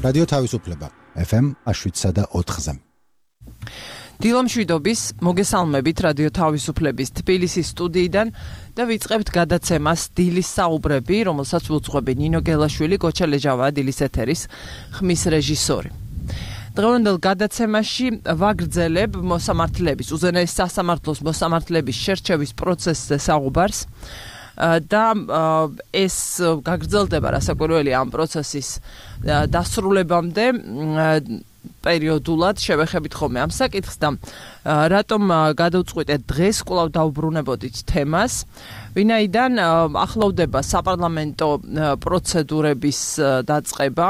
რადიო თავისუფლება FM 107.4-ზე. დილომშვიდობის მოგესალმებით რადიო თავისუფლების თბილისის სტუდიიდან და ვიწყებთ გადაცემას დილის საუბრები, რომელსაც უძღვები ნინო გელაშვილი, გოჩა ლეჟავა, დილის ეთერის ხმის რეჟისორი. დღევანდელ გადაცემაში ვაგრძელებ მოსამართლეების, უზენაეს სასამართლოს მოსამართლეების შერჩევის პროცესზე საუბარს და ეს გაგრძელდება რასაკვირველია ამ პროცესის დასრულებამდე პერიოდულად შევეხებით ხოლმე ამ საკითხს და რატომ გადავწყვიტეთ დღეს კვლავ დავბრუნებოდით თემას, ვინაიდან ახლოვდება საპარლამენტო პროცედურების დაწყება,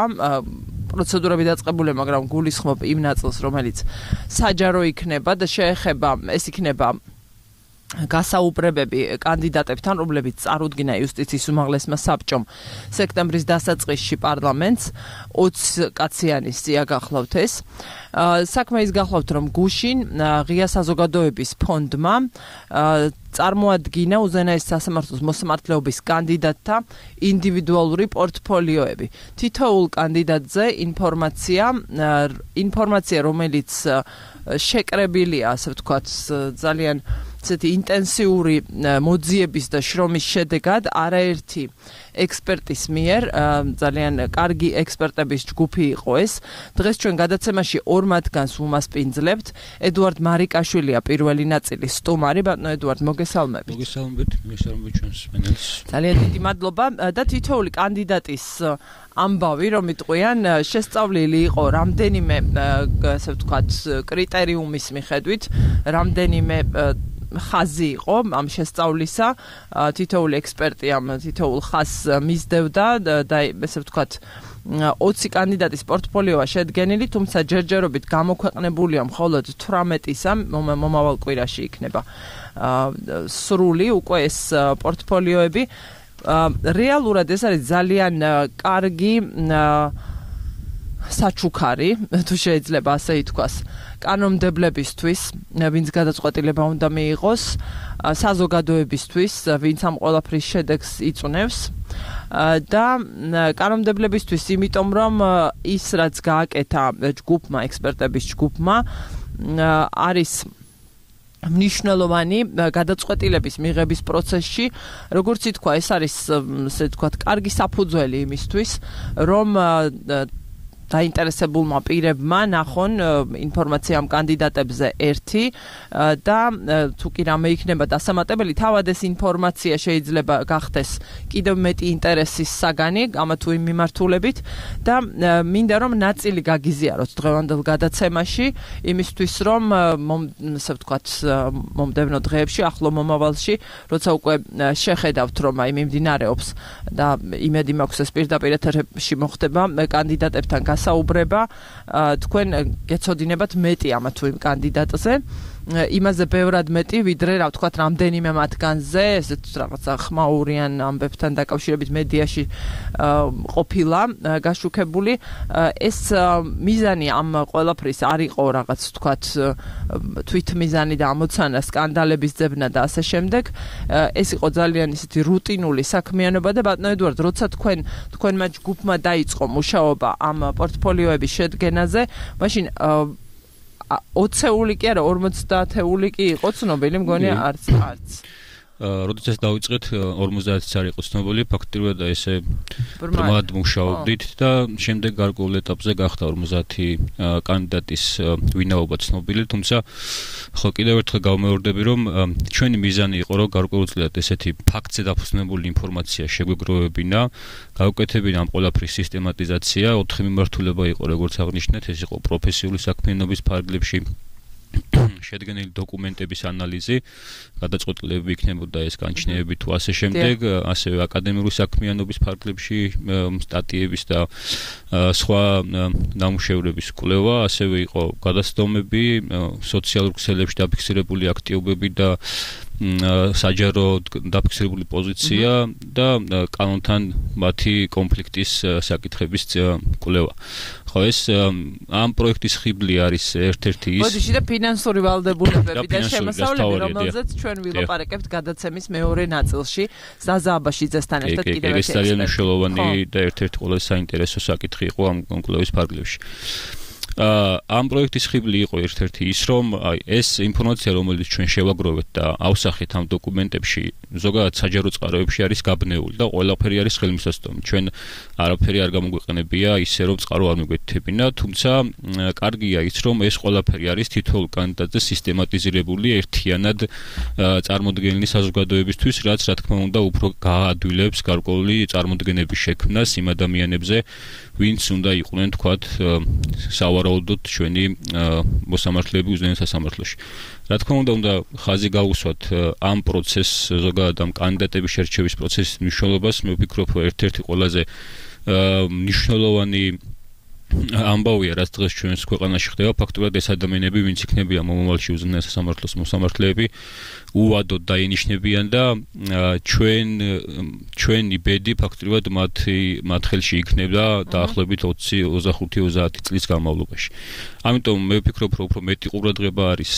პროცედურები დაწყებულია, მაგრამ გულისხმობ იმ ნაწილს, რომელიც საჯარო იქნება და შეეხება, ეს იქნება გასაუბრებები კანდიდატებთან, რომლებიც წარუდგინა იუსტიციის უმაღლესმა საბჭომ სექტემბრის დასაწყისში პარლამენტს 20 კაციანი სია გახლავთ ეს. საქმე ის გახლავთ, რომ გუშინ ღია საზოგადოების ფონდმა წარმოადგინა უზენაეს სასამართლოს მოსამართლეობის კანდიდატთა ინდივიდუალური პორტფოლიოები. თითოეულ კანდიდატზე ინფორმაცია, რომელიც შეკრებილია, ასე ვთქვათ, ძალიან ცეთი ინტენსიური მოძიების და შრომის შედეგად არაერთი ექსპერტის მიერ, ძალიან კარგი ექსპერტების ჯგუფი იყო ეს. დღეს ჩვენ გადაცემაში ორ მათგანს უმასპინძლებთ. ედუარდ მარიკაშვილია პირველი ნაწილის სტუმარი. ბატონო ედუარდ, მოგესალმებით. მოგესალმებით ჩვენს მენელს. ძალიან დიდი მადლობა და თითოეული კანდიდატის ამბავი, რომ იტყვიან, შესწავლილი იყო რამდენიმე, ასე ვთქვათ, კრიტერიუმის მიხედვით, რამდენიმე ხაზი იყო ამ შესწავლისა, თითოეული ექსპერტი ამ თითოეულ ხაზს მისდევდა და ესე ვთქვათ 20 კანდიდატის პორტფოლიოა შედგენილი, თუმცა ჯერჯერობით გამოქვეყნებულია მხოლოდ 18-ისა, მომავალ კვირაში იქნება სრული უკვე ეს პორტფოლიოები. რეალურად ეს არის ძალიან კარგი საჩუქარი, თუ შეიძლება ასე ითქვას, კანონმდებლებისთვის, ვინც გადაწყვეტილება უნდა მიიღოს, საზოგადოებისთვის, ვინც ამ ყველაფრის შედეგს იწვნევს და კანონმდებლებისთვის, იმიტომ რომ ის რაც გააკეთა ჯგუფმა, ექსპერტების ჯგუფმა, არის მნიშვნელოვანი გადაწყვეტილების მიღების პროცესში, როგორც ითქვა, ეს არის, ასე ვთქვათ, კარგი საფუძველი იმისთვის, რომ დაინტერესებულმა პირებმა ნახონ ინფორმაცია ამ კანდიდატებზე ერთი და თუ კი რამე იქნება დასამატებელი, თავად ეს ინფორმაცია შეიძლება გახდეს კიდევ მეტი ინტერესის საგანი ამა თუ იმ მიმართულებით და მინდა რომ ნაწილი გაგიზიაროთ დღევანდელ გადაცემაში იმისთვის რომ ასე ვთქვათ მომდევნო დღეებში, ახლო მომავალში, როცა უკვე შეხედავთ რომ აი მიმდინარეობს და იმედი მაქვს ეს პირდაპირ ეთერში მოხდება კანდიდატებთან საუბრება, თქვენ გეცოდინებათ მეტი ამა თუ იმ კანდიდატზე, იმაზე ბევრად მეტი, ვიდრე რა ვთქვათ, რამდენიმე მათგანზე, ესეთ რაღაცა ხმაურიან ამბებთან დაკავშირებით მედიაში ყოფილა გაშუქებული. ეს მიზანი ამ ყველაფრის არ იყო რაღაც თქვათ თვითმიზანი და ამოცანა სკანდალების ძებნა და ასე შემდეგ. ეს იყო ძალიან ისეთი რუტინული საქმიანობა და ბატონო ედუარდ, როცა თქვენმა ჯგუფმა დაიწყო მუშაობა ამ პორტფოლიოების შედგენაზე, მაშინ 20-ეული კი არა, 50-ეული კი იყო ცნობილი, მგონია არც. როდესაც დავიწყეთ 50-იც არ იყო ცნობილი, ფაქტობრივად ესე ბრმად მუშაობდით და შემდეგ გარკვეულ ეტაპზე გახდა 50 კანდიდატის ვინაობა ცნობილი, თუმცა ხო კიდევ ერთხელ გავმეორდები, რომ ჩვენი მიზანი იყო, რომ გარკვეულწილად ესეთი ფაქტზე დაფუძნებული ინფორმაცია შეგვეგროვებინა, გავუკეთებინა ამ ყველაფრის სისტემატიზაცია, 4 მიმართულება იყო, როგორც აღნიშნეთ, ეს იყო პროფესიული საქმიანობის ფარგლებში შედგენილი დოკუმენტების ანალიზი, გადაწყვეტილებები იქნებოდა ეს განჩნევები თუ ასე შემდეგ, ასევე აკადემიური საქმიანობის ფარგლებში სტატიების და სხვა ნამუშევრების კვლევა, ასევე იყო გადაცდომები, სოციალურ ქსელებში დაფიქსირებული აქტივობები და საჯარო დაფიქსირებული პოზიცია და კანონთან მათი კონფლიქტის საკითხების კვლევა. ხო ეს ამ პროექტის ხიბლი არის ერთ-ერთი ის. მოდიში და ფინანსური ვალდებულებები და შემოსავლები, რომელზეც ჩვენ ვილაპარაკებთ გადაცემის მეორე ნაწილში, ზაზა აბაშიძესთან ერთად კიდევ ერთი. ეს ძალიან მნიშვნელოვანი და ერთ-ერთი ყველაზე საინტერესო საკითხი იყო ამ კვლევის ფარგლებში. ამ პროექტის ხიბლი იყო ერთ-ერთი ის, რომ ეს ინფორმაცია, რომელიც ჩვენ შევაგროვეთ და ავსახეთ ამ დოკუმენტებში, ზოგადად საჯარო წყაროებში არის გაბნეული და ყველაფერი არის ხელმისაწვდომი. ჩვენ არაფერი არ გამოგვეყენებია ისე, რომ წყარო არ მიგვეთებინა, თუმცა კარგია ის, რომ ეს ყველაფერი არის თითოეულ კანდიდატზე სისტემატიზირებული ერთიანად წარმოდგენილი საზოგადოებისთვის, რაც რა თქმა უნდა უფრო გაადვილებს გარკვეული წარმოდგენების შექმნას იმ ადამიანებზე, ვინც უნდა იყვნენ თქვათ სავარაუდოდ ჩვენი მოსამართლეები უზენაეს სასამართლოში. რა თქმა უნდა ხაზი გავუსვათ ამ პროცესს, ზოგადად ამ კანდიდატების შერჩევის პროცესის მნიშვნელობას, მე ვფიქრობ, ერთ-ერთი ყველაზე მნიშვნელოვანი ამბავია, რაც დღეს ჩვენს ქვეყანაში ხდება, ფაქტობრივად ეს ადამიანები, ვინც იქნებიან მომავალში უზენაეს სასამართლოს მოსამართლეები, უვადოდ დაინიშნებიან და ჩვენი ბედი ფაქტობრივად მათ ხელში იქნება დაახლოებით 25-30 წლის განმავლობაში. ამიტომ მე ვფიქრობ, რომ უფრო მეტი ყურადღება არის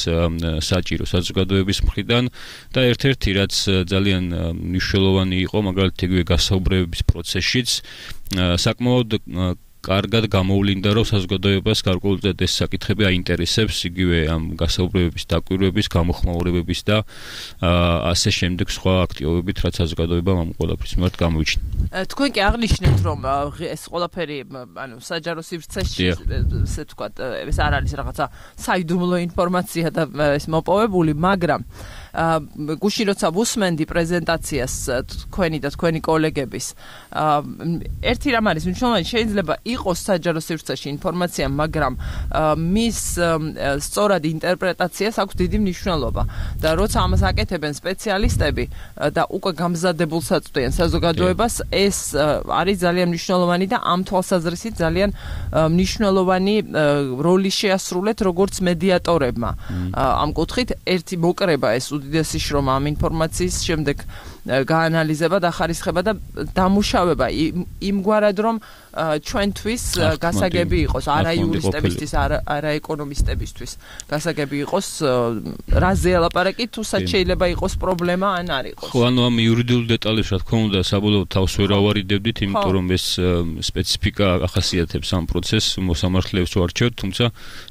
საჭირო საზოგადოების მხრიდან და ერთ-ერთი რაც ძალიან მნიშვნელოვანი იყო, მაგალითად იგივე გასაუბრების პროცესშიც საკმაოდ კარგად გამოვლინდა, რომ საზოგადოებას გარკვეულად ეს საკითხები აინტერესებს, იგივე ამ გასაუბრებების, დაკვირვების, გამოხმაურებების და ასე შემდეგ სხვა აქტივობებით, რაც საზოგადოებამ ამ ყველაფრის მიმართ გამოიჩინა. თქვენ კი აღნიშნეთ, რომ ეს ყველაფერი, საჯარო სივრცეში, ესე ვთქვათ, ეს არ არის რაღაცა საიდუმლო ინფორმაცია და ეს მოპოვებული, მაგრამ გუშინ როცა ვუსმენდი პრეზენტაციას თქვენი და თქვენი კოლეგების, ერთი რამ არის მნიშვნელოვანი, შეიძლება იყოს საჯარო სივრცეში ინფორმაცია, მაგრამ მის სწორად ინტერპრეტაციას აქვს დიდი მნიშვნელობა და როცა ამას აკეთებენ სპეციალისტები და უკვე გამზადებულს აწვდიან საზოგადოებას, ეს არის ძალიან მნიშვნელოვანი და ამ თვალსაზრისით ძალიან მნიშვნელოვანი როლი შეასრულეთ როგორც მედიატორებმა. ამ კუთხით ერთი მოკრება ეს უდიდესი შრომა ამ ინფორმაციის შემდეგ გაანალიზება და ხარისხება და დამუშავება იმგვარად, რომ ჩვენთვის გასაგები იყოს, არა იურისტებისთვის, არა ეკონომისტებისთვის გასაგები იყოს, რაზე ელაპარაკი, თუსაც შეიძლება იყოს პრობლემა ან არ იყოს. ხო, ანუ ამ იურიდიულ დეტალებს, რა თქმა უნდა, საბოლოოდ თავს ვერ ავარიდებდით, იმიტომ რომ ეს სპეციფიკა ახასიათებს ამ პროცესს, მოსამართლეებს ვარჩევთ, თუმცა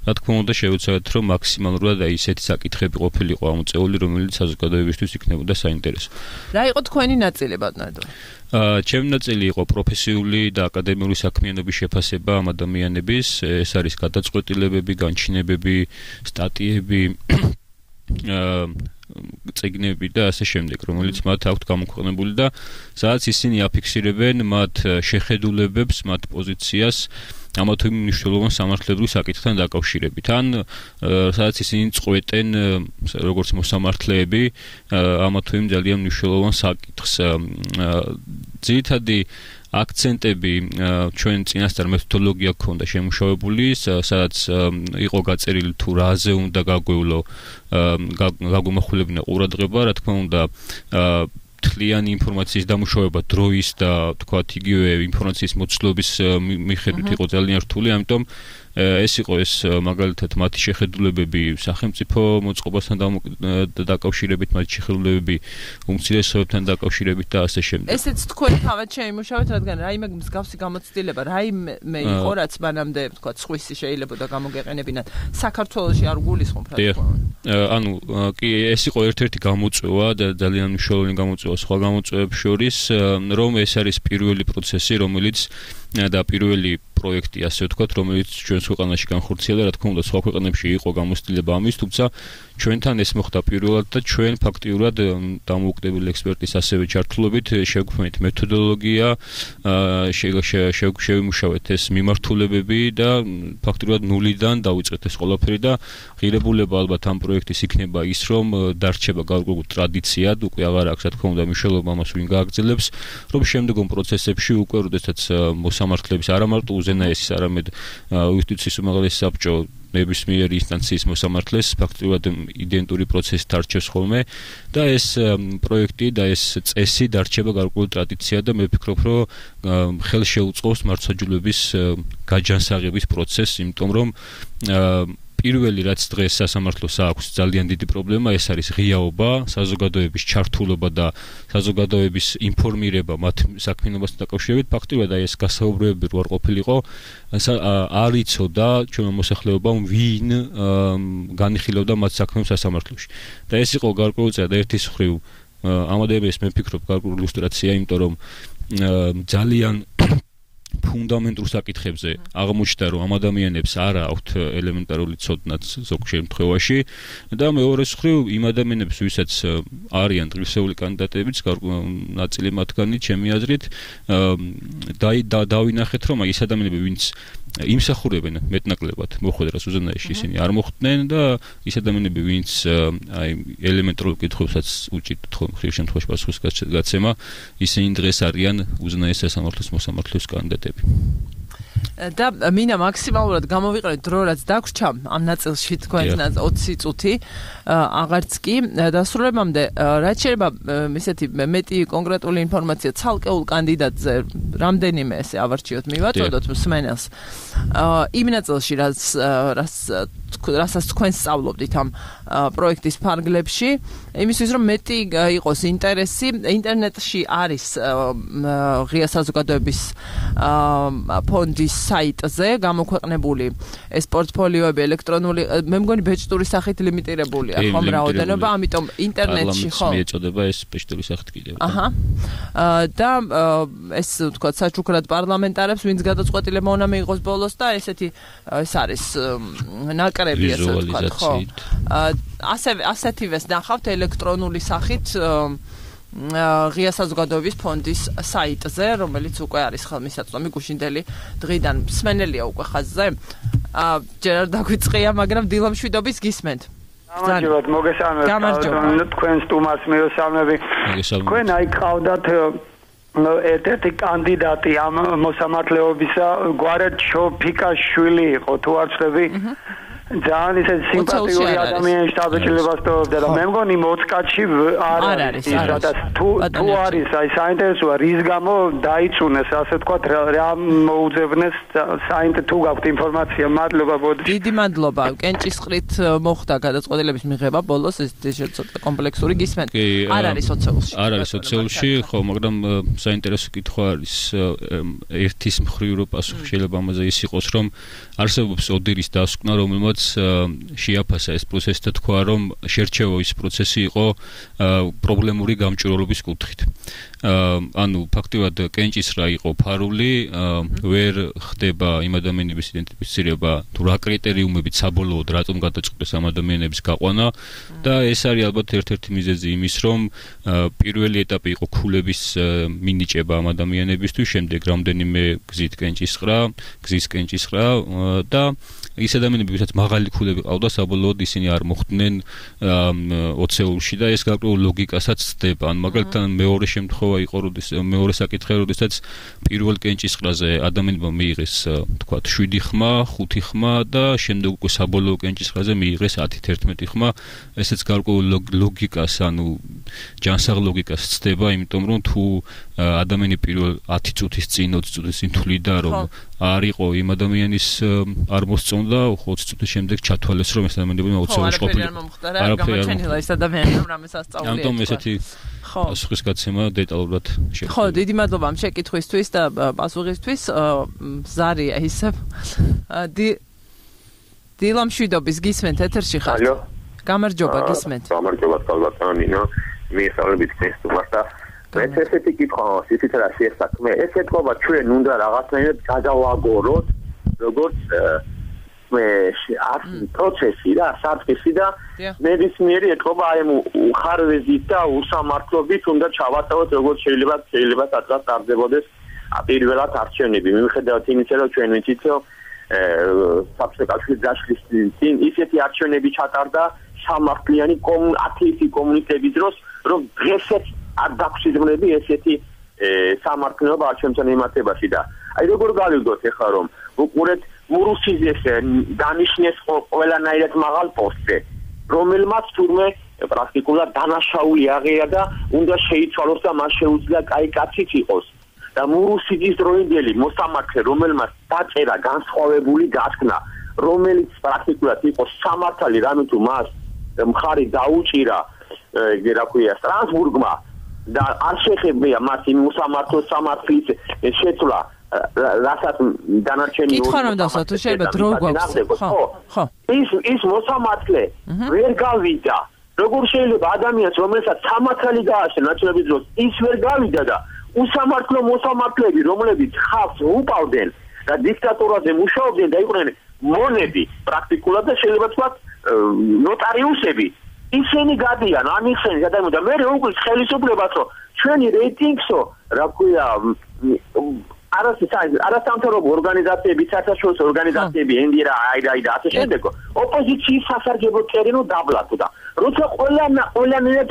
რა თქმა უნდა შევეცადეთ, რომ მაქსიმალურად ისეთი საკითხები ყოფილიყო ამოწეული, რომელიც საზოგადოებისთვის იქნებოდა საინტერესო. რა იყო თქვენი ნაწილი, ბატონო? ჩემი ნაწილი იყო პროფესიული და აკადემიური საქმიანობის შეფასება ამ ადამიანების, ეს არის გადაწყვეტილებები, განჩინებები, სტატიები, წიგნები და ასე შემდეგ, რომელიც მათ აქვთ გამოქვეყნებული და სადაც ისინი აფიქსირებენ მათ შეხედულებებს, მათ პოზიციას ამა თუ იმ მნიშვნელოვან სამართლებრივ საკითხთან დაკავშირებით. ან სადაც ისინი წყვეტენ როგორც მოსამართლეები ამა თუ იმ ძალიან მნიშვნელოვან საკითხს. ძირითადი აქცენტები ჩვენ წინასწარ მეთოდოლოგია გქონდა შემუშავებული, სადაც იყო გაწერილი თუ რაზე უნდა გაგვიმახვილებინა ყურადღება, რა თქმა უნდა მთლიანი ინფორმაციის დამუშავება დროის და თქვათ იგივე ინფორმაციის მოცულობის მიხედვით იყო ძალიან რთული, ამიტომ ეს იყო ეს მაგალითად მათი შეხედულებები სახელმწიფო მოწყობასთან დაკავშირებით, მათი შეხედულებები უმცირესობებთან დაკავშირებით და ასე შემდეგ. ესეც თქვენ თავად შეიმუშავეთ, რადგან რაიმე მსგავსი გამოცდილება, რაიმე იყო, რაც მანამდე თქვათ სხვისი შეიძლებოდა გამოგეყენებინათ, საქართველოში არ გულისხმობ რა თქმა უნდა. ანუ კი ეს იყო ერთ-ერთი გამოწვევა და ძალიან მნიშვნელოვანი გამოწვევა სხვა გამოწვევებს შორის, რომ ეს არის პირველი პროცესი, რომელიც და პირველი პროექტი, ასე ვთქვათ, რომელიც ჩვენს ქვეყანაში განხორციელდა, რა თქმა უნდა, სხვა ქვეყნებში იყო გამოცდილება ამის, თუმცა ჩვენთან ეს მოხდა პირველად და ჩვენ ფაქტიურად დამოუკიდებელი ექსპერტის ასევე ჩართულობით შევქმნით მეთოდოლოგია, შევიმუშავეთ ეს მიმართულებები და ფაქტიურად ნულიდან დავიწყეთ ეს ყველაფერი და ღირებულება ალბათ ამ პროექტის იქნება ის, რომ დარჩება გარკვეულ ტრადიციად, უკვე აღარ აქვს, რა თქმა უნდა, მნიშვნელობა ამას ვინ გააგრძელებს, რომ შემდგომ პროცესებში უკვე როდესაც მოსამართლეების არა მარტო უზენაესის, არამედ იუსტიციის უმაღლესი საბჭო ნებისმიერი ინსტანციის მოსამართლეს ფაქტობრივად იდენტური პროცესით არჩევს ხოლმე და ეს პროექტი და ეს წესი დარჩება გარკვეული ტრადიცია და მე ვფიქრობ, რომ ხელს შეუწყობს მართლმსაჯულების გაჯანსაღების პროცესს, იმიტომ რომ პირველი რაც დღეს სასამართლოს აქვს ძალიან დიდი პრობლემა, ეს არის ღიაობა, საზოგადოების ჩართულობა და საზოგადოების ინფორმირება მათ საქმიანობასთან დაკავშირებით. ფაქტობრივად ეს გასაუბრებები რო არ ყოფილიყო, არ იცოდა ჩვენმა მოსახლეობამ ვინ განიხილავდა მათ საქმეებს სასამართლოში. და ეს იყო გარკვეულწილად ერთის მხრივ ამადების მე ვფიქრობ გარკვეული ილუსტრაცია, იმიტომ რომ ძალიან ფუნდამენტურ საკითხებზე აღმოჩნდა, რომ ამ ადამიანებს არ აქვთ ელემენტარული ცოდნაც ზოგ შემთხვევაში და მეორეს მხრივ იმ ადამიანებს, ვისაც არიან დღისეული კანდიდატებიც, ნაწილი მათგანი ჩემი აზრით დავინახეთ, რომ ის ადამიანები, ვინც იმსახურებენ მეტნაკლებად მოხვედრას უზენაესში, ისინი არ მოხვდნენ და ის ადამიანები, ვინც აი ელემენტარულ კითხვებსაც უჭირთ ხშირ შემთხვევაში პასუხის გაცემა, ისინი დღეს არიან უზენაეს სასამართლოს მოსამართლეების კანდიდატები. და მინდა მაქსიმალურად გამოვიყენოთ დრო, რაც დაგვრჩა ამ ნაწილში თქვენს 20 წუთი, აღარც კი დასრულებამდე, რაც შეიძლება ისეთი მეტი კონკრეტული ინფორმაცია ცალკეულ კანდიდატზე რამდენიმე ესე ავარჩიოთ, მივაწოდოთ მსმენელს. იმ ნაწილში, რასაც თქვენ სწავლობდით ამ პროექტის ფარგლებში, იმისთვის რომ მეტი იყოს ინტერესი, ინტერნეტში არის ღია საზოგადოების ფონდის საიტზე გამოქვეყნებული ეს პორტფოლიოები ელექტრონული, მე მგონი ბეჭდური სახით ლიმიტირებულია, ხომ რაოდენობა, ამიტომ ინტერნეტში ხო მიეწოდება ეს ბეჭდური სახით კიდევ. და ეს თქვა საჩუქრად პარლამენტარებს, ვინც გადაწყვეტილება უნდა მიიღოს ბოლოს და ესეთი ეს არის ნაკრები, ასე ვთქვათ, ხო. ასეთივეს ნახავთ ელექტრონული სახით ღია საზოგადოების ფონდის საიტზე, რომელიც უკვე არის ხელმისაწვდომი გუშინდელი დღიდან. მსმენელია უკვე ხაზზე. ჯერ არ დაგვიწყია, მაგრამ დილამშვიდობის გისმენთ. გამარჯობათ, მოგესალმებით. თქვენ სტუმარს მიესალმები. თქვენ აი ყავდათ ერთ-ერთი კანდიდატი ამ მოსამართლეობისა, გვარად შოფიკაშვილი იყო, თუ არ ვცდები. ძალიან ისე სიმპათიური ადამიანი შტაბ-ჭილებას თორდა და მე მგონი მოწკაჩი არ არის, სადაც თუ არის აი საინტერესოა რის გამო დაიწუნეს, ასე ვთქვათ, რა მოუძებნეს თუ გაქვთ ინფორმაცია, მადლობა ბოდი. დიდი მადლობა. კენჭისყრით მოხდა გადაწყვეტილების მიღება ბოლოს, ეს ცოტა კომპლექსური გისმენთ. არ არის ოცეულში. არ არის ოცეულში, ხო, მაგრამ საინტერესო კითხვა არის ერთის მხრივ რო პასუხი შეიძლება ამაზე ის იყოს, რომ არსებობს ოდირის დასკვნა, რომელმაც შეაფასა ეს პროცესი და თქვა, რომ შერჩევა ის პროცესი იყო პრობლემური გამჭვირვალობის კუთხით. ანუ ფაქტობრივად კენჭისყრა იყო ფარული, ვერ ხდება იმ ადამიანების იდენტიფიცირება, თუ რა კრიტერიუმებით საბოლოოდ რატომ გადაწყვეტეს ამ ადამიანების გაყვანა და ეს არის ალბათ ერთ-ერთი მიზეზი იმის, რომ პირველი ეტაპი იყო ქულების მინიჭება ამ ადამიანებისთვის, შემდეგ რამდენიმე გზის კენჭისყრა და ის ადამიანები, ვისაც მაღალი ქულები ყავდა, საბოლოოდ ისინი არ მოხვდნენ ოცეულში და ეს გარკვეულ ლოგიკასაც ცდება. ან მაგალითად მეორე შემთხვევა იყო, მეორე საკითხი, როდესაც პირველ კენჭისყრაზე ადამიანებმა მიიღეს, თქვათ, 7 ხმა, 5 ხმა და შემდეგ უკვე საბოლოო კენჭისყრაზე მიიღეს 10-11 ხმა. ესეც გარკვეულ ლოგიკას, ანუ ჯანსაღ ლოგიკას ცდება, იმიტომ რომ თუ ადამიანი პირველ 10 წუთის წინ, 20 წუთის წინ თვლიდა, რომ არ იყო იმ ადამიანის არ მოსწონდა, 20 წუთის შემდეგ ჩათვალეს, რომ ეს ადამიანები ოცეულში ყოფილიყო. არაფერი არ მოხდა ეს ადამიანი, რომ რამეს ასწავლია. ამიტომ ესეთი პასუხის გაცემა დეტალურად შეგვიძლია. ხო, დიდი მადლობა ამ შეკითხვისთვის და პასუხისთვის. ზარია ისევ. დილამშვიდობის გისმენთ ეთერში ხართ. ალო. გამარჯობა, გისმენთ. გამარჯობა, კალბატონინო. მიესალმებით ქრისტობას და ესეთი კითხვა ისიც რა შეესაქმე. ეს ეთქობა ჩვენ უნდა რაღაცნაირად გადავაგოროთ, როგორც პროცესი და საფრთხე და ნებისმიერი ეთქობა აი უხარვეზით და უსამართლობით უნდა ჩავატაროთ, როგორც შეიძლება სადღაც ტარდებოდეს პირველად არჩევნები. მიუხედავად იმისა, რომ ჩვენ ვიცით, რომ საბჭოთა დაშლის წინ ისეთი არჩევნები ჩატარდა სამართლიანი ათეისტი კომუნისტების დროს, რომ დღესაც არ დაგვსიზმრები ესეთი სამართლიანობა არჩევნებთან მიმართებაში და აი როგორ გავიგოთ ეხლა რომ უყურეთ მურუსიძეს დანიშნეს ყველანაირად მაღალ პოსტზე, რომელმაც თურმე პრაქტიკულად დანაშაული აღია და უნდა შეიცვალოს და მას შეუძლია კაი კაციც იყოს. და მურუსიძის დროინდელი მოსამართლე, რომელმაც დაწერა განსხვავებული გასქნა, რომელიც პრაქტიკულად იყო სამართალი, რამე თუ მას მხარი დაუჭირა, რა ქვია, სტრასბურგმა და არ შეხებია მას იმ მოსამართლოს სამართლის შეცვლა, რასაც დანარჩენი კითხვა რომ დასვა თუ შეიძლება დრო გვაქვს. ხო. ის მოსამართლე ვერ გავიდა. როგორ შეიძლება ადამიანს, რომელსაც სამართალი გააშენა ნაცვლების დროს, ის ვერ გავიდა და უსამართლო მოსამართლეები, რომლებიც ხალხს უპავდნენ და დიქტატურაზე მუშაობდნენ და იყვნენ მონები პრაქტიკულად და შეიძლება თქვათ ნოტარიუსები, ისინი გადიან, ამიხსენის ადამიანს და მე როგორ ხელისუფლებას რომ ჩვენი რეიტინგსო, რა ქვია, არასამთავრობო ორგანიზაციები, საერთაშორისო ორგანიზაციები, ენდირა, აირა და ასე შემდეგ, ოპოზიციის სასარგებლო წერინო დაბლათო და როცა ყველანაირად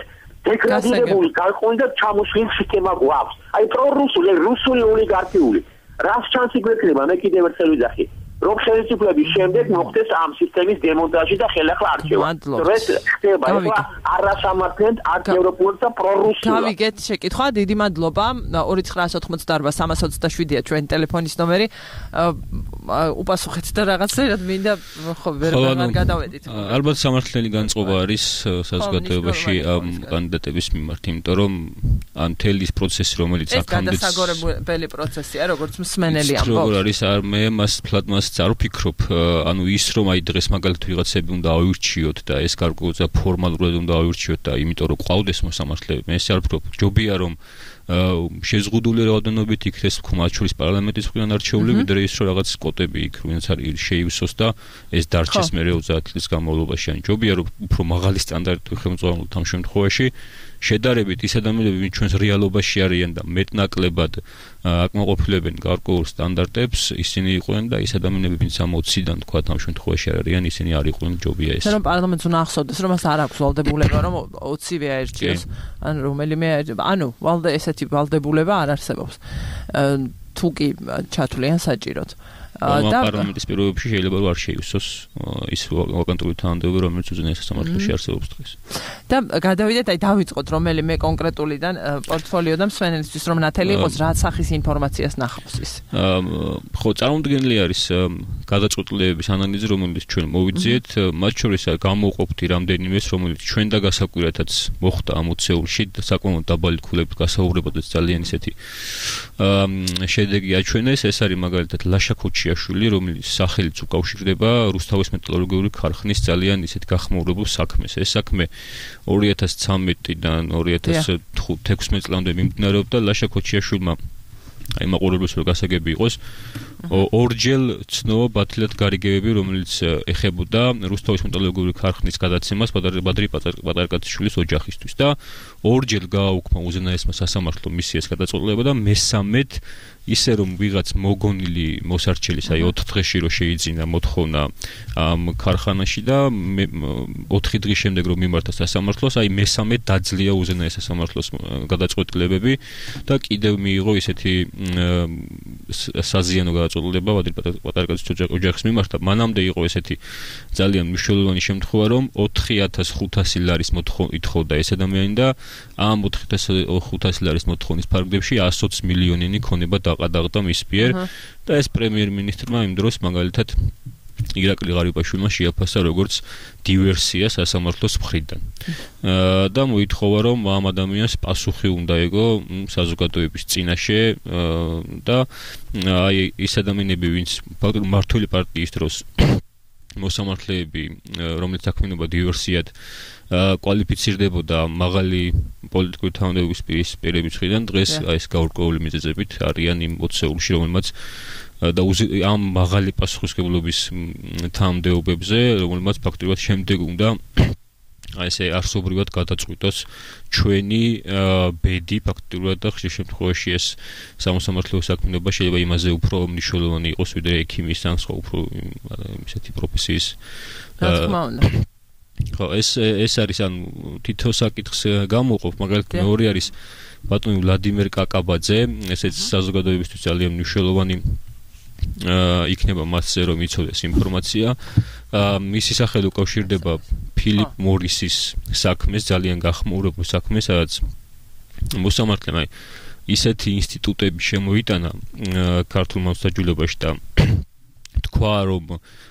დეგრადირებული გარკვეული და ჩამოშლილი სისტემა გვაქვს. აი პრორუსული, რუსული ოლიგარქიული. რას ჩანსი გვექნება, მე კიდევ ერთხელ ვიძახი. რომ ხელისუფლების შემდეგ მოხდეს ამ სისტემის დემონტაჟი და ხელახლა არჩევა. ეს ხდება ეხლა არასამართლედ ანტიევროპული და პრორუსული. გავიგეთ შეკითხვა, დიდი მადლობა. 2988-327-ია ჩვენ ტელეფონის ნომერი. უპასუხეთ და რაღაცა მინდა ხო ვერ გადავედით. ალბათ სამართლიანი განწყობა არის საზოგადოებაში ამ კანდიდატების მიმართ, იმიტომ რომ ამ თელის პროცესი, რომელიც აქამდე განსაკუთრებული პროცესია, როგორც მსმენელი ამბობს. როგორ არის არ მე მას ფლატმას არ ვფიქრობ, ანუ ის რომ აი დღეს მაგალითად ვიღაცები უნდა აუირჩიოთ და ეს გარკვეულწილად ფორმალურად უნდა აუირჩიოთ და იმიტომ რომ ყავდეს მოსამართლეები, მე ეს არ ვფიქრობ. ჯობია რომ შეზღუდული რაოდენობით იქნეს მათ შორის პარლამენტის მხრიდან არჩეული, ვიდრე ის რომ რაღაც კოტები იქ ვინც არის შეივსოს და ეს დარჩეს მე 30 წლის განმავლობაში. ან ჯობია რომ უფრო მაღალი სტანდარტი ხელმძღვანელობთ ამ შემთხვევაში. შედარებით ის ადამიანები, ვინც ჩვენს რეალობაში არიან და მეტნაკლებად აკმაყოფილებენ გარკვეულ სტანდარტებს, ისინი იყვნენ და ის ადამიანები, ვინც ამ 20-დან თქვა ამ შემთხვევაში არ არიან, ისინი არ იყვნენ, ჯობია ეს. რომ პარლამენტს უნდა ახსოვდეს, რომ მას არ აქვს ვალდებულება, რომ 20-ვე აერჩიოს, ან რომელიმე, ანუ ესეთი ვალდებულება არ არსებობს. თუ კი ჩათვლიან საჭიროდ. და პარლამენტის პირობებში შეიძლება რომ არ შეივსოს ის ვაკანტური თანამდებობა, რომელიც უზენაეს სასამართლოში არსებობს დღეს. და გადავიდეთ, აი დავიწყოთ რომელიმე კონკრეტულიდან პორტფოლიო და მსვენელისთვის რომ ნათელი იყოს, რა სახის ინფორმაციას ნახავს ის. ხო, წარმოუდგენელი არის გადაწყვეტილებების ანალიზი, რომელიც ჩვენ მოვიძიეთ, მათ შორის გამოვყოფთ რამდენიმეს, რომელიც ჩვენ და გასაკვირათაც მოხდა ამ ოცეულში, საკმაოდ დაბალი ქულებით გასაუბრებადაც ძალიან ისეთი შედეგი აჩვენეს, ეს არის მაგალითად ლაშა ქუჩიაშვილი, რომელიც სახელით უკავშირდება რუსთავის მეტალურგიული ქარხნის ძალიან ისეთ გახმაურებულ საქმეს. ეს საქმე 2013-დან 2016 წლამდე მიმდინარეობდა. ლაშა ქუჩიაშვილმა აი მაყურებელს რო გასაგები იყოს, ორჯერ ცნო ბათილად გარიგებები, რომელიც ეხებოდა რუსთავის მეტალურგიული ქარხნის გადაცემას ბადრი პატარკაციშვილის ოჯახისთვის და ორჯერ გააუქმა უზენაესმა სასამართლო მისიას გადაწყვეტილება და მესამედ ისე რომ ვიღაც მოგონილი მოსარჩელის აი 4 დღეში რო შეიძინა მოთხოვნა ამ ქარხანაში და 4 დღის შემდეგ რომ მიმართა სასამართლოს, აი მესამედ დაძლია უზენაეს სასამართლოს გადაწყვეტილებები და კიდევ მიიღო ისეთი საზიანო გადაწყვეტილება ბადრი პატარკაციშვილის ოჯახის მიმართ. მანამდე იყო ესეთი ძალიან მნიშვნელოვანი შემთხვევა, რომ 4500 ლარის ითხოვდა ეს ადამიანი და ამ 4500 ლარის მოთხოვნის ფარგლებში 120 მილიონიანი ქონება დაყადაღდა მის მიერ და ეს პრემიერ-მინისტრმა იმ დროს მაგალითად ირაკლი ღარიბაშვილმა შეაფასა როგორც დივერსია სასამართლოს მხრიდან. და მოითხოვა რომ ამ ადამიანს პასუხი უნდა ეკო საზოგადოების წინაშე და აი ეს ადამიანები, ვინც მმართველი პარტიის დროს მოსამართლეები, რომელიც საქმიანობა დივერსიად კვალიფიცირდებოდა მაღალი პოლიტიკური თანამდებობის პირების მხრიდან, დღეს ეს გაურკვეველი მიზეზებით არიან იმ ოცეულში, რომელმაც და ამ მაღალი პასუხისმგებლობის თანამდებობებზე, რომელმაც ფაქტობრივად შემდეგ უნდა ესე არსობრივად გადაწყვიტოს ჩვენი ბედი ფაქტობრივად და ხშირ შემთხვევაში ეს სამოსამართლეო საქმიანობა შეიძლება იმაზე უფრო მნიშვნელოვანი იყოს, ვიდრე ექიმის ან სხვა უფრო ისეთი პროფესიის. რა თქმა უნდა. ხო, ეს არის ან თითო საკითხს გამოვყოფ, მაგალითად მეორე არის ბატონი ვლადიმერ კაკაბაძე, ესეც საზოგადოებისთვის ძალიან მნიშვნელოვანი იქნება მასზე რომ იცოდეს ინფორმაცია. მისი სახელი უკავშირდება ფილიპ მორისის საქმეს, ძალიან გახმაურებულ საქმეს, სადაც მოსამართლემ ისეთი ინსტიტუტები შემოიტანა ქართულ მოსაჯულებაში და თქვა რომ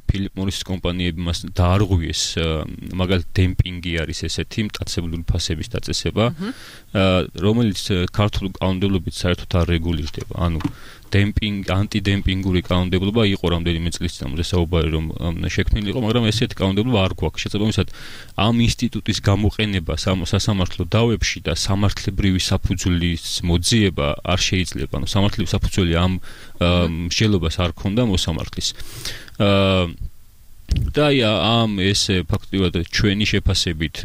ფილიპ მორისის კომპანიები მას დაარღვიეს, მაგალითად დემპინგი არის ესეთი მტაცებლური ფასების დაწესება, რომელიც ქართულ კანონმდებლობით საერთოდ არ რეგულირდება. ანუ ანტიდემპინგური კანონმდებლობა იყო რამდენიმე წლის წინამძე საუბარი რომ შექმნილი იყო, მაგრამ ესეთი კანონმდებლობა არ გვაქვს. შესაბამისად, ამ ინსტიტუტის გამოყენება სასამართლო დავებში და სამართლებრივი საფუძვლის მოძიება არ შეიძლება. ანუ სამართლებრივი საფუძველი ამ მსჯელობას არ ქონდა მოსამართლის. და ამ ესე ფაქტობრივად ჩვენი შეფასებით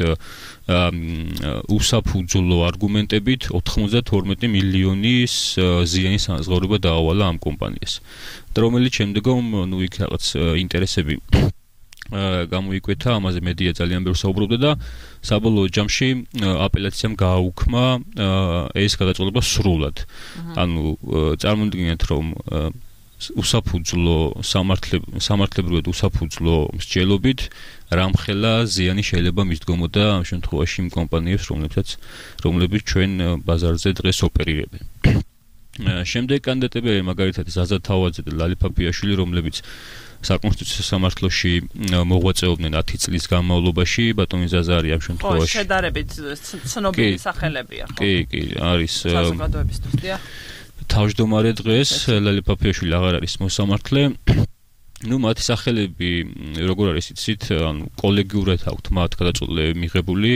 უსაფუძვლო არგუმენტებით 92 მილიონის ზიანის ანაზღაურება დაავალა ამ კომპანიას. და რომელიც შემდგომ იქ რაღაც ინტერესები გამოიკვეთა, ამაზე მედია ძალიან ბევრს საუბრობდა და საბოლოო ჯამში აპელაციამ გააუქმა ეს გადაწყვეტილება სრულად. ანუ წარმოვიდგინეთ რომ უსაფუძვლო სამართლებრივად უსაფუძვლო მსჯელობით რამხელა ზიანი შეიძლება მისდგომოდა ამ შემთხვევაში იმ კომპანიებს, რომლებიც ჩვენ ბაზარზე დღეს ოპერირებენ. შემდეგ კანდიდატები მაგალითად ზაზა თავაძე და ლალი ფაფიაშვილი, რომლებიც საკონსტიტუციო სამართლოში მოღვაწეობდნენ 10 წლის განმავლობაში, ბატონი ზაზა არის ამ შემთხვევაში. შედარებით ცნობილი სახელებია, ხო? კი, არის საზოგადოებისთვის, დიახ. თავმჯდომარე დღეს ლალი ფაფიაშვილი აღარ არის მოსამართლე. მათი სახელები როგორ არის იცით, ანუ კოლეგიურად აქვთ მათ გადაწყვეტილებები მიღებული,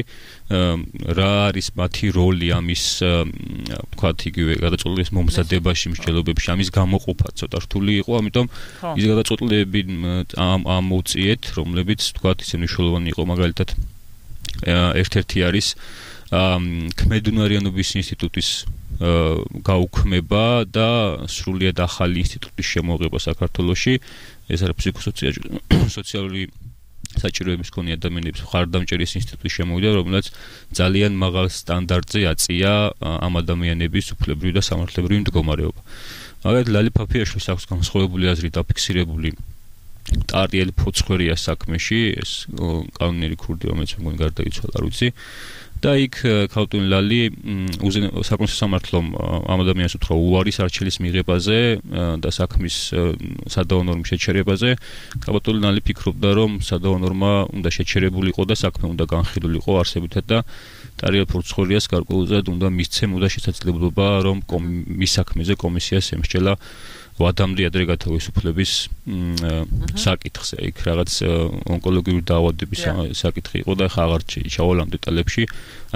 რა არის მათი როლი ამის, ვთქვათ, იგივე გადაწყვეტილების მომზადებაში, მსჯელობებში, ამის გამოყოფა ცოტა რთული იყო, ამიტომ ის გადაწყვეტილებები ამოუწიეთ, რომლებიც, ვთქვათ, ისე მნიშვნელოვანი იყო, მაგალითად, ერთ-ერთი არის ქმედუნარიანობის ინსტიტუტის გაუქმება და სრულიად ახალი ინსტიტუტის შემოღება საქართველოში. ეს არის ფსიქოსოციალური საჭიროების მქონე ადამიანების მხარდამჭერის ინსტიტუტის შემოვიდა, რომელიც ძალიან მაღალ სტანდარტზე აწია ამ ადამიანების უფლებრივი და სამართლებრივი მდგომარეობა. მაგალითად, ლალი ფაფიაშვილს აქვს განსხვავებული აზრი დაფიქსირებული ტარიელ ფოცხვერია საქმეში, ეს კანონიერი ქურდი, რომელიც მგონი გარდაიცვალა, არ ვიცი. და იქ ქალტუნ ლალი საკონსტიტუციო სამართლომ ამ ადამიანს უთხრა უარის არჩელის მიღებაზე და საქმის სადავო ნორმის შეჩერებაზე. ქალტუნ ლალი ფიქრობდა, რომ სადავო ნორმა უნდა შეჩერებულიყო და საქმე უნდა განხილულიყო არსებითად და ტარიელ ფოცხვერიას გარკვეულწილად უნდა მისცემოდა შესაძლებლობა, რომ მის საქმეზე კომისიას ემსჯელა ვადამდე ადრე გათავისუფლების საკითხზე. იქ რაღაც ონკოლოგიური დაავადების საკითხი იყო და ხა აღარ ჩავალ ამ დეტალებში.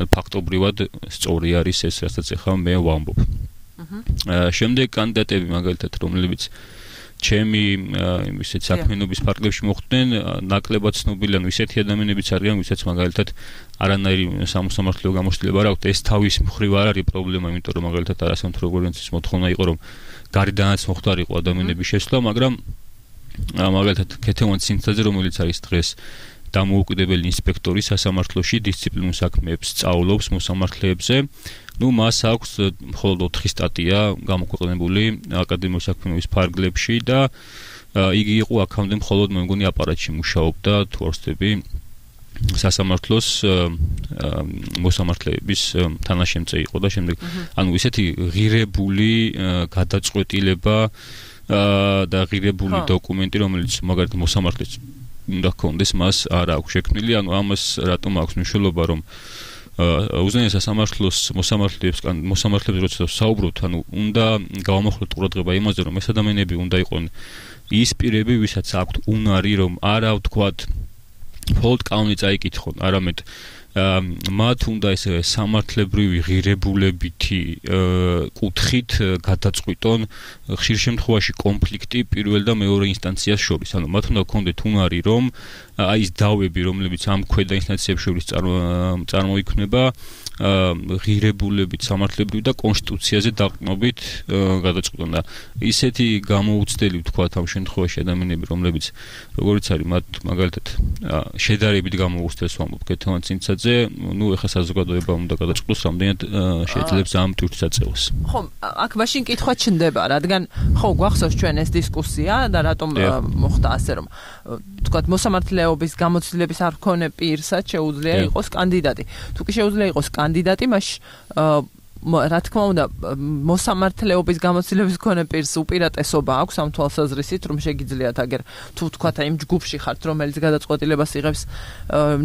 ან ფაქტობრივად სწორი არის ეს, რასაც ახლა მე ვამბობ. შემდეგ კანდიდატები მაგალითად, რომლებიც ჩემი ისეთ საქმიანობის ფარგლებში მოხვდნენ, ნაკლებად ცნობილი, ანუ ისეთი ადამიანებიც არიან, ვისაც მაგალითად არანაირი სამოსამართლეო გამოცდილება არ აქვს. ეს თავის მხრივ არ არის პრობლემა, იმიტომ რომ მაგალითად არასამთავრობო ორგანიზაციის მოთხოვნა იყო, რომ გარიდანაც მოხდარიყო ადამიანების შესვლა, მაგრამ მაგალითად ქეთევან ცინცაძე, რომელიც არის დღეს დამოუკიდებელი ინსპექტორი სასამართლოში, დისციპლინურ საქმეებს სწავლობს მოსამართლეებზე. მას აქვს მხოლოდ 4 სტატია გამოქვეყნებული აკადემიური საქმიანობის ფარგლებში და იგი იყო აქამდე მხოლოდ მე მგონი აპარატში მუშაობდა, თუ არ ვცდები, სასამართლოს მოსამართლეების თანაშემწე იყო და შემდეგ ანუ ისეთი ღირებული გადაწყვეტილება და ღირებული დოკუმენტი, რომელიც მაგალითად მოსამართლეს უნდა ჰქონდეს, მას არ აქვს შექმნილი. ანუ ამას რატომ აქვს მნიშვნელობა, რომ უზენაეს სასამართლოს მოსამართლეებს როცა საუბრობთ, ანუ უნდა გავამახვილოთ ყურადღება იმაზე, რომ ეს ადამიანები უნდა იყვნენ ის პირები, ვისაც აქვთ უნარი, რომ არა ვთქვათ მხოლოდ კანონი წაიკითხონ, არამედ მათ უნდა ეს სამართლებრივი ღირებულებითი კუთხით გადაწყვიტონ ხშირ შემთხვევაში კონფლიქტი პირველ და მეორე ინსტანციას შორის. ანუ მათ უნდა გქონდეთ უნარი, რომ აი ის დავები, რომლებიც ამ ქვედა ინსტანციებს შორის წარმოიქმნება, ღირებულებით, სამართლებრივი და კონსტიტუციაზე დაყრდნობით გადაწყვეტონ და ისეთი გამოუცდელი ვთქვათ ამ შემთხვევაში ადამიანები, რომლებიც როგორც არის მათ მაგალითად შედარებით გამოუცდელს ვამბობ ქეთევან წინცაძე, ნუ ეხლა საზოგადოება უნდა გადაწყვეტოს რამდენად შეიძლება ამ ტვირთს აწევოს. ხო, აქ მაშინ კითხვა ჩნდება, რადგან ხო გვახსოვს ჩვენ ეს დისკუსია და რატომ მოხდა ასე რომ ვთქვათ მოსამართლეობის გამოცდილების არ მქონე პირსაც შეუძლია იყოს კანდიდატი. თუ კი შეუძლია იყოს კანდიდატი, მაშინ რა თქმა უნდა მოსამართლეობის გამოცდილების მქონე პირს უპირატესობა აქვს ამ თვალსაზრისით, რომ შეგიძლიათ აგერ თუ ვთქვათ იმ ჯგუფში ხართ, რომელიც გადაწყვეტილებას იღებს,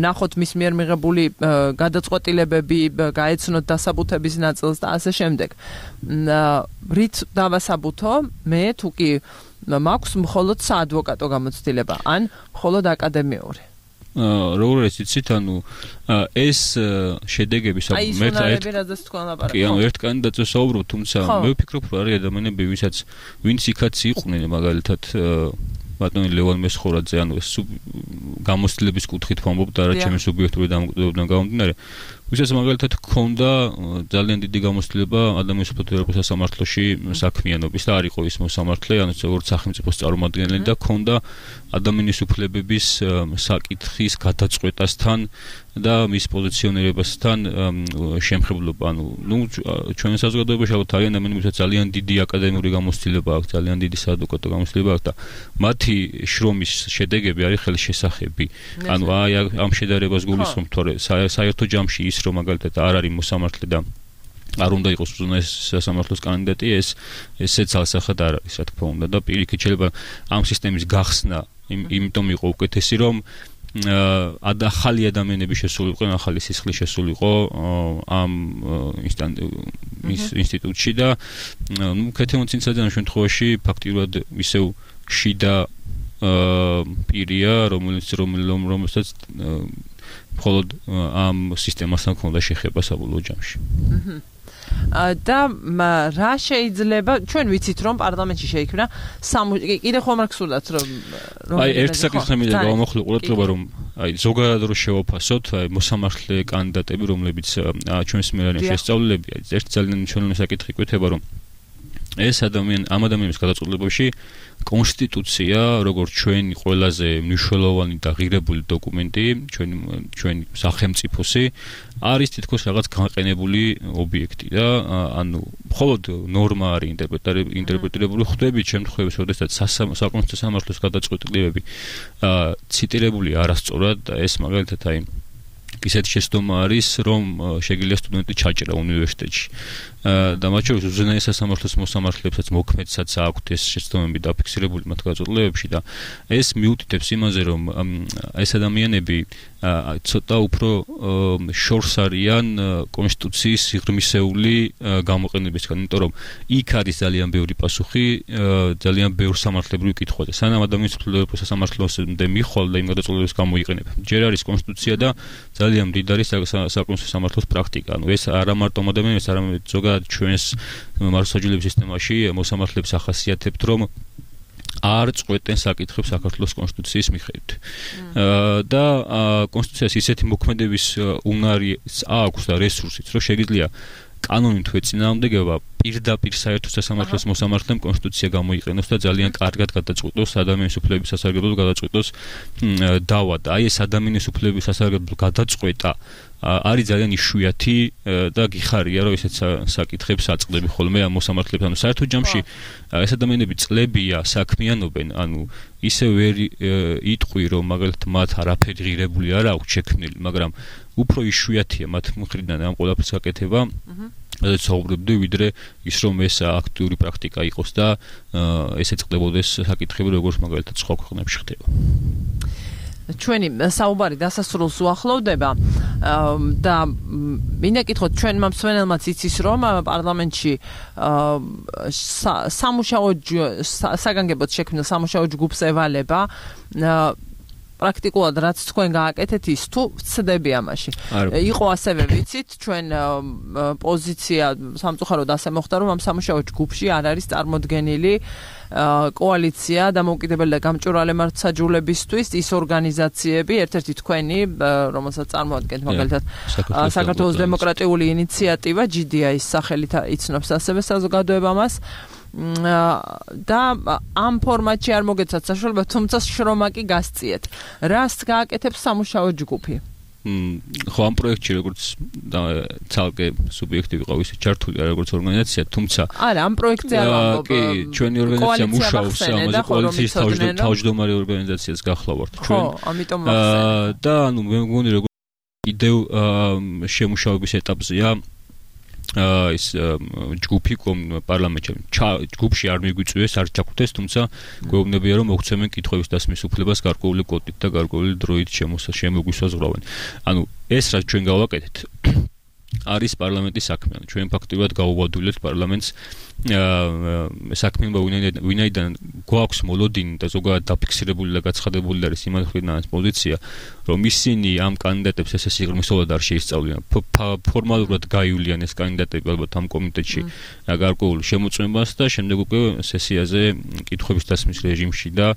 ნახოთ მის მიერ მიღებული გადაწყვეტილებები, გაეცნოთ დასაბუთების ნაწილს და ასე შემდეგ. რით დავასაბუთო? მე თუ კი მაქვს მხოლოდ საადვოკატო გამოცდილება, ან მხოლოდ აკადემიური. როგორ არის იცით, ანუ ეს შედეგები ერთ კანდიდატზე საუბრობ, თუმცა მე ვფიქრობ, რომ არის ადამიანები, ვინც იქაც იყვნენ, მაგალითად ბატონი ლევან მესხორაძე, ანუ ეს გამოცდილების კუთხით ვამბობ და რა ჩემი სუბიექტური დამოკიდებებიდან გამომდინარე, ვისაც მაგალითად ჰქონდა ძალიან დიდი გამოცდილება ადამიანის უფლებათა სასამართლოში საქმიანობის და არ იყო ის მოსამართლე, ანუ როგორც სახელმწიფოს წარმომადგენელი და ჰქონდა ადამიანის უფლებების საკითხის გადაწყვეტასთან და მის პოზიციონირებასთან შემხებლობა. ანუ ჩვენ საზოგადოებაში არიან ადამიანებსაც ძალიან დიდი აკადემიური გამოცდილება აქვს, ძალიან დიდი საადვოკატო გამოცდილება აქვს და მათი შრომის შედეგები არის ხელშესახები. ანუ აი ამ შედარებას გულისხმობ, თორე საერთო ჯამში ის რომ მაგალითად არ არის მოსამართლე და არ უნდა იყოს უზენაეს სასამართლოს კანდიდატი, ესეც ალსახად არ არის, რა თქმა უნდა და პირიქით შეიძლება ამ სისტემის გახსნა იმიტომ იყო უკეთესი, რომ ახალი ადამიანები შესულიყო, ახალი სისხლი შესულიყო ამ ინსტიტუტში და ნუ ქეთევან წინცაძე ამ შემთხვევაში ფაქტიურად ისევ შიდა პირია, რომელსაც მხოლოდ ამ სისტემასთან ჰქონდა შეხება საბოლოო ჯამში. და რა შეიძლება ჩვენ ვიცით რომ პარლამენტში შეიქმნა კიდე ხომ არ გსურდათ რომ აი ერთ საკითხს მინდა გავამოხლო ყურადღება რომ აი ზოგადად რო შევაფასოთ აი მოსამართლე კანდიდატები რომლებიც ჩვენს მიერ არის შესწავლილები აი ერთ ძალიან მნიშვნელოვანი საკითხი გვეთება რომ ეს ამ ადამიანის გადაწყვეტილებაში კონსტიტუცია როგორც ჩვენი ყველაზე მნიშვნელოვანი და ღირებული დოკუმენტი ჩვენი სახელმწიფოსი არის თითქოს რაღაც განყენებული ობიექტი და ანუ მხოლოდ ნორმა არის ინტერპრეტირებული ხვდებით შემთხვევებში როდესაც საკონსტიტუციო სამართლის გადაწყვეტილებები ციტირებული არასწორად და ეს მაგალითად აი ისეთი შეცდომა არის რომ შეგიძლია სტუდენტი ჩაჭრა უნივერსიტეტში და მათ შორის უზენაეს სასამართლოს მოსამართლებსაც მოქმედსაც აქვთ ეს შეცდომები დაფიქსირებული მათ გადაწყვეტილებებში და ეს მიუთითებს იმაზე რომ ეს ადამიანები ცოტა უფრო შორს არიან კონსტიტუციის სიღრმისეული გამოყენებისგან, იმიტომ რომ იქ არის ძალიან ბევრი პასუხი, ძალიან ბევრ სამართლებრივ კითხვაზე. სანამ ადამიანის უფლებათა სასამართლოსამდე მიხვალ და იმ გადაწყვეტილებებს გამოიყენება. ჯერ არის კონსტიტუცია და ძალიან მდიდარი საკონსტიტუციო სამართლის პრაქტიკა. ანუ ეს არა მარტო ადამიანებს, არამედ ზოგადად ჩვენს მართლმსაჯულების სისტემაში მოსამართლეებს ახასიათებთ, რომ არ წყვეტენ საკითხებს საქართველოს კონსტიტუციის მიხედვით. და კონსტიტუციას ისეთი მოქმედების უნარი აქვს და რესურსიც, რომ შეგიძლია კანონით ეწინააღმდეგება პირდაპირ საერთო სასამართლოს მოსამართლემ კონსტიტუცია გამოიყენოს და ძალიან კარგად გადაწყვეტოს ადამიანის უფლებების სასარგებლოდ გადაწყვეტოს დავა და აი ეს ადამიანის უფლებების სასარგებლოდ გადაწყვეტა არის ძალიან იშვიათი და გიხარია რომ ესეც საკითხებს აწყდები ხოლმე ამ მოსამართლეებს ანუ საერთო ჯამში ეს ადამიანები წლებია საქმიანობენ ანუ ისე ვერ იტყვი რომ მაგალითად მათ არაფერი ღირებული არ აქვს შექმნილი მაგრამ უფრო იშვიათია მათ მხრიდან ამ ყველაფერს გაკეთება და საუბრობდი ვიდრე ის რომ ეს აქტიური პრაქტიკა იყოს და ესე წყდებოდეს საკითხები როგორც მაგალითად სხვა ქვეყნებში ხდება ჩვენი საუბარი დასასრულს უახლოვდება და მინდა გითხოთ ჩვენ მომსვენელმაც იცის რომ პარლამენტში სამუშაო საგანგებოდ შექმნილ სამუშაო ჯგუფს ევალება პრაქტიკულად რაც თქვენ გააკეთეთ ის თუ ვცდები ამაში. იყო ასევე ვიცით ჩვენ პოზიცია სამწუხაროდ ასე მოხდა რომ ამ სამუშაო ჯგუფში არ არის წარმოდგენილი კოალიცია დამოუკიდებელი და გამჭვირვალე მართლმსაჯულებისთვის ის ორგანიზაციები ერთ-ერთი თქვენი რომელსაც წარმოადგენთ მაგალითად საქართველოს დემოკრატიული ინიციატივა GDI-ის სახელით იცნობს ასევე საზოგადოება მას და ამ ფორმატში არ მოგეცათ საშუალება თუმცა შრომა კი გასწიეთ. რას გააკეთებს სამუშაო ჯგუფი? ხო ამ პროექტში როგორც ცალკე სუბიექტი ვიყავ ისე ჩართული არა როგორც ორგანიზაცია თუმცა არა ამ პროექტზე არ ვამბობ კი ჩვენი ორგანიზაცია მუშაობს ამაზე კოალიციის თავმჯდომარე ორგანიზაციას გახლავართ ჩვენ ხო ამიტომ ვახსენე და ანუ მე მგონი როგორც იდეო შემუშავების ეტაპზეა ის ჯგუფი პარლამენტში ჯგუფში არ მიგვიწვიეს არ ჩაგვდეს თუმცა გვეუბნებია რომ მოგვცემენ კითხვების დასმის უფლებას გარკვეული კოდით და გარკვეული დროით შემოგვისაზღვრავენ ანუ ეს რაც ჩვენ გავაკეთეთ არის პარლამენტის საქმე ჩვენ ფაქტობრივად გავუბადულებთ პარლამენტს საქმიანობა ვინაიდან გვაქვს მოლოდინი და ზოგადად დაფიქსირებული და გაცხადებული არის იმათ მხრიდან პოზიცია რომ ისინი ამ კანდიდატებს ესე სიღრმისეულად არ შეისწავლიან ფორმალურად გაივლიან ეს კანდიდატები ალბათ ამ კომიტეტში გარკვეულ შემოწმებას და შემდეგ უკვე სესიაზე კითხვების დასმის რეჟიმში და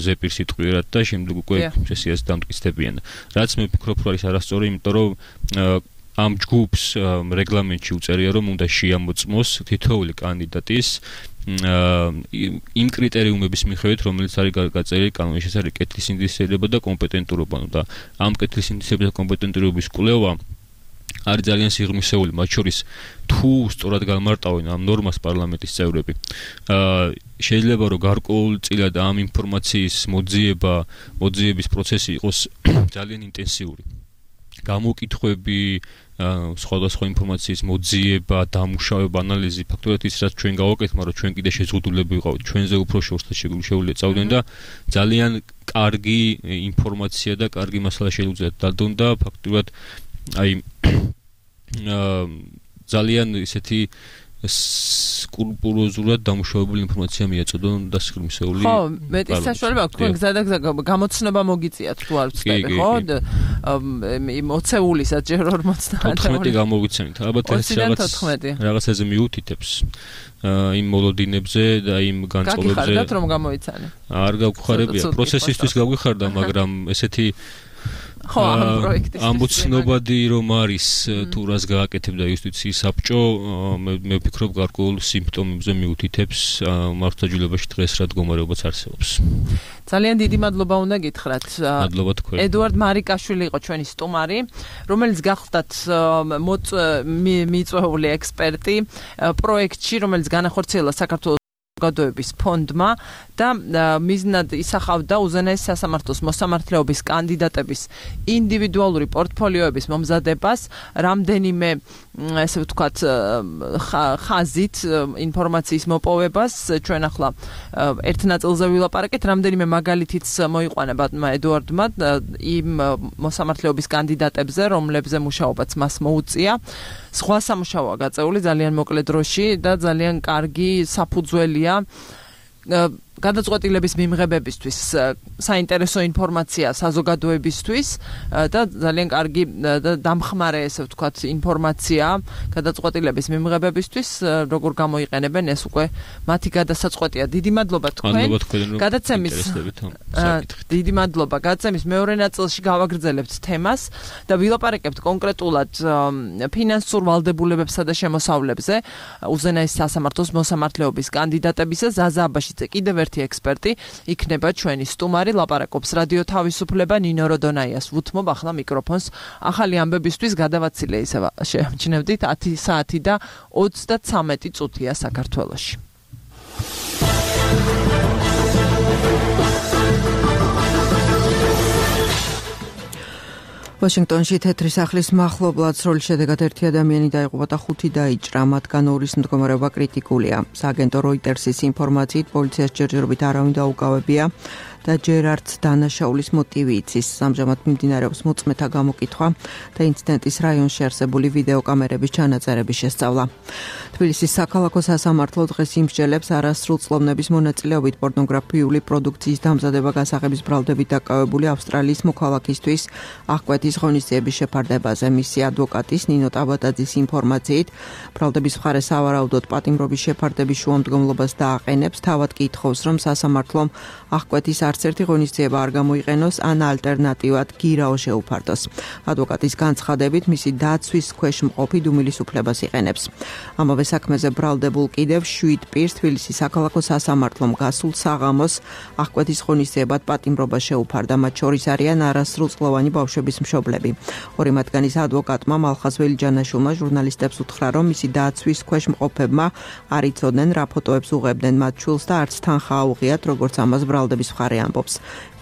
ზეპირ სიტყვიერად და შემდეგ უკვე სესიაზე დამტკიცდებიან რაც მე ვფიქრობ რომ არის არასწორი იმიტომ რომ ამ ჯგუფს რეგლამენტში უწერია რომ უნდა შეამოწმოს თითოეული კანდიდატის იმ კრიტერიუმების მიხედვით რომელიც არის გაწერილი კანონში ეს არის კეთილის ინდივიდუალობა და კომპეტენტურობა და ამ კეთილის ინდივიდუალობის და კომპეტენტურობის კვლევა არის ძალიან სიღრმისეული მათ შორის თუ სწორად გამარტავენ ამ ნორმას პარლამენტის წევრები შეიძლება რომ გარკვეულწილად ამ ინფორმაციის მოძიების პროცესი იყოს ძალიან ინტენსიური გამოკითხვები სხვადასხვა ინფორმაციის მოძიება, დამუშავება, ანალიზი, ფაქტობრივად ის რაც ჩვენ გავაკეთეთ, მაგრამ ჩვენ კიდე შეზღუდულები ვიყავით, ჩვენზე უფრო შორსა შეგვიძლია წავდნენ და ძალიან კარგი ინფორმაცია და კარგი მასალა შეგვიძლია დადონ და ფაქტობრივად აი ძალიან ისეთი სკრუპულოზურად დამუშავებული ინფორმაცია მიაწოდონ და სიღრმისეული ხო, მეტი საშუალება აქვს თქვენ გზადაგზა გამოცნობა მოგიწიათ თუ არ ვწდები, ხო? მოცეულისაც ჯერ 14 გამოვიცემით. ალბათ ეს რაღაცაზე მიუთითებს იმ მოლოდინებზე და იმ განწყობებზე. გაგიხარდათ რომ გამოიცანე? არ გავხარებია, პროცესისთვის გავიხარდა, მაგრამ ესეთი ხო, ამ პროექტის ამბოცნობადი რომ არის თუ რას გააკეთებდა იუსტიციის საბჭო მე ვფიქრობ გარკვეულ სიმპტომებზე მიუთითებს მართლმსაჯულებაში დღეს რა მდგომარეობაც არსებობს. ძალიან დიდი მადლობა უნდა გითხრათ. მადლობა თქვენ. ედუარდ მარიკაშვილი იყო ჩვენი სტუმარი, რომელიც გახლდათ მიწვეული ექსპერტი პროექტში, რომელიც განახორციელა საქართველოს საზოგადოების ფონდმა და მიზნად ისახავდა უზენაეს სასამართლოს მოსამართლეობის კანდიდატების ინდივიდუალური პორტფოლიოების მომზადებას რამდენიმე ესე ვთქვათ ხაზით ინფორმაციის მოპოვებას ჩვენ ახლა ერთ ნაწილზე ვილაპარაკეთ რამდენიმე მაგალითიც მოიყვანა ბატონმა ედუარდმა იმ მოსამართლეობის კანდიდატებზე რომლებზე მუშაობაც მას მოუწია სხვა სამუშაოა გაწეული ძალიან მოკლე დროში და ძალიან კარგი საფუძველია გადაწყვეტილების მიღებებისთვის საინტერესო ინფორმაცია საზოგადოებისთვის და ძალიან კარგი და დამხმარე ესე ვთქვათ ინფორმაცია გადაწყვეტილების მიღებებისთვის როგორ გამოიყენებენ ეს უკვე მათი გადასაწყვეტია. დიდი მადლობა თქვენ. გადაცემის დიდი მადლობა. გადაცემის მეორე ნაწილში გავაგრძელებთ თემას და ვილაპარაკებთ კონკრეტულად ფინანსურ ვალდებულებებსა და შემოსავლებზე უზენაეს სასამართლოს მოსამართლეობის კანდიდატებისა ზაზა აბაშიძე კიდევ ერთი ექსპერტი იქნება ჩვენი სტუმარი ლაპარაკობს რადიო თავისუფლება ნინო როდონაიას ვუთმობ ახლა მიკროფონს ახალი ამბებისთვის გადავაცილე ისევ შეამჩნევდით 10 საათი და 33 წუთია საქართველოში. ვაშინგტონში თეთრი სახლის მახლობლად სროლის შედეგად ერთი ადამიანი დაიღუპა და 5 დაიჭრა, მათგან 2-ის მდგომარეობა კრიტიკულია. სააგენტო როიტერსის ინფორმაციით პოლიციას ჯერჯერობით არავინ დაუკავებია. და ჯერ არც დანაშაულის მოტივი იცის. ამჟამად მიმდინარეობს მოწმეთა გამოკითხვა და ინციდენტის რაიონში არსებული ვიდეოკამერების ჩანაწერების შესწავლა. თბილისის საქალაქო სასამართლო დღეს იმსჯელებს არასრულწლოვნების მონაწილეობით პორნოგრაფიული პროდუქციის დამზადება გასაღების ბრალდებით დაკავებული ავსტრალიის მოქალაქისთვის აღკვეთის ღონისძიების შეფარდებაზე. მისი ადვოკატის ნინო ტაბატაძის ინფორმაციით, ბრალდების მხარე სავარაუდოდ პატიმრობის შეფარდების შუამდგომლობას დააყენებს, თავად კი ითხოვს, რომ სასამართლომ აღკვეთის არც ერთი ღონისძიება არ გამოიყენოს ან ალტერნატივად გირაო შეუფარდოს. ადვოკატის განცხადებით, მისი დაცვის ქვეშ მყოფი დუმილის უფლებას იყენებს. ამავე საქმეზე ბრალდებულ კიდევ 7 პირს თბილისის საქალაქო სასამართლომ გასულ საღამოს აღკვეთის ღონისძიებად პატიმრობა შეუფარდა. მათ შორის არიან არასრულწლოვანი ბავშვების მშობლები. ორი მათგანის ადვოკატმა მალხაზ ველიჯანაშვილმა ჟურნალისტებს უთხრა, რომ მისი დაცვის ქვეშ მყოფებმა არ იცოდნენ, რა ფოტოებს უღებდნენ მათ შვილს და არც თანხა აუღიათ, როგორც ამას ბრალდების მხარე ამბობს.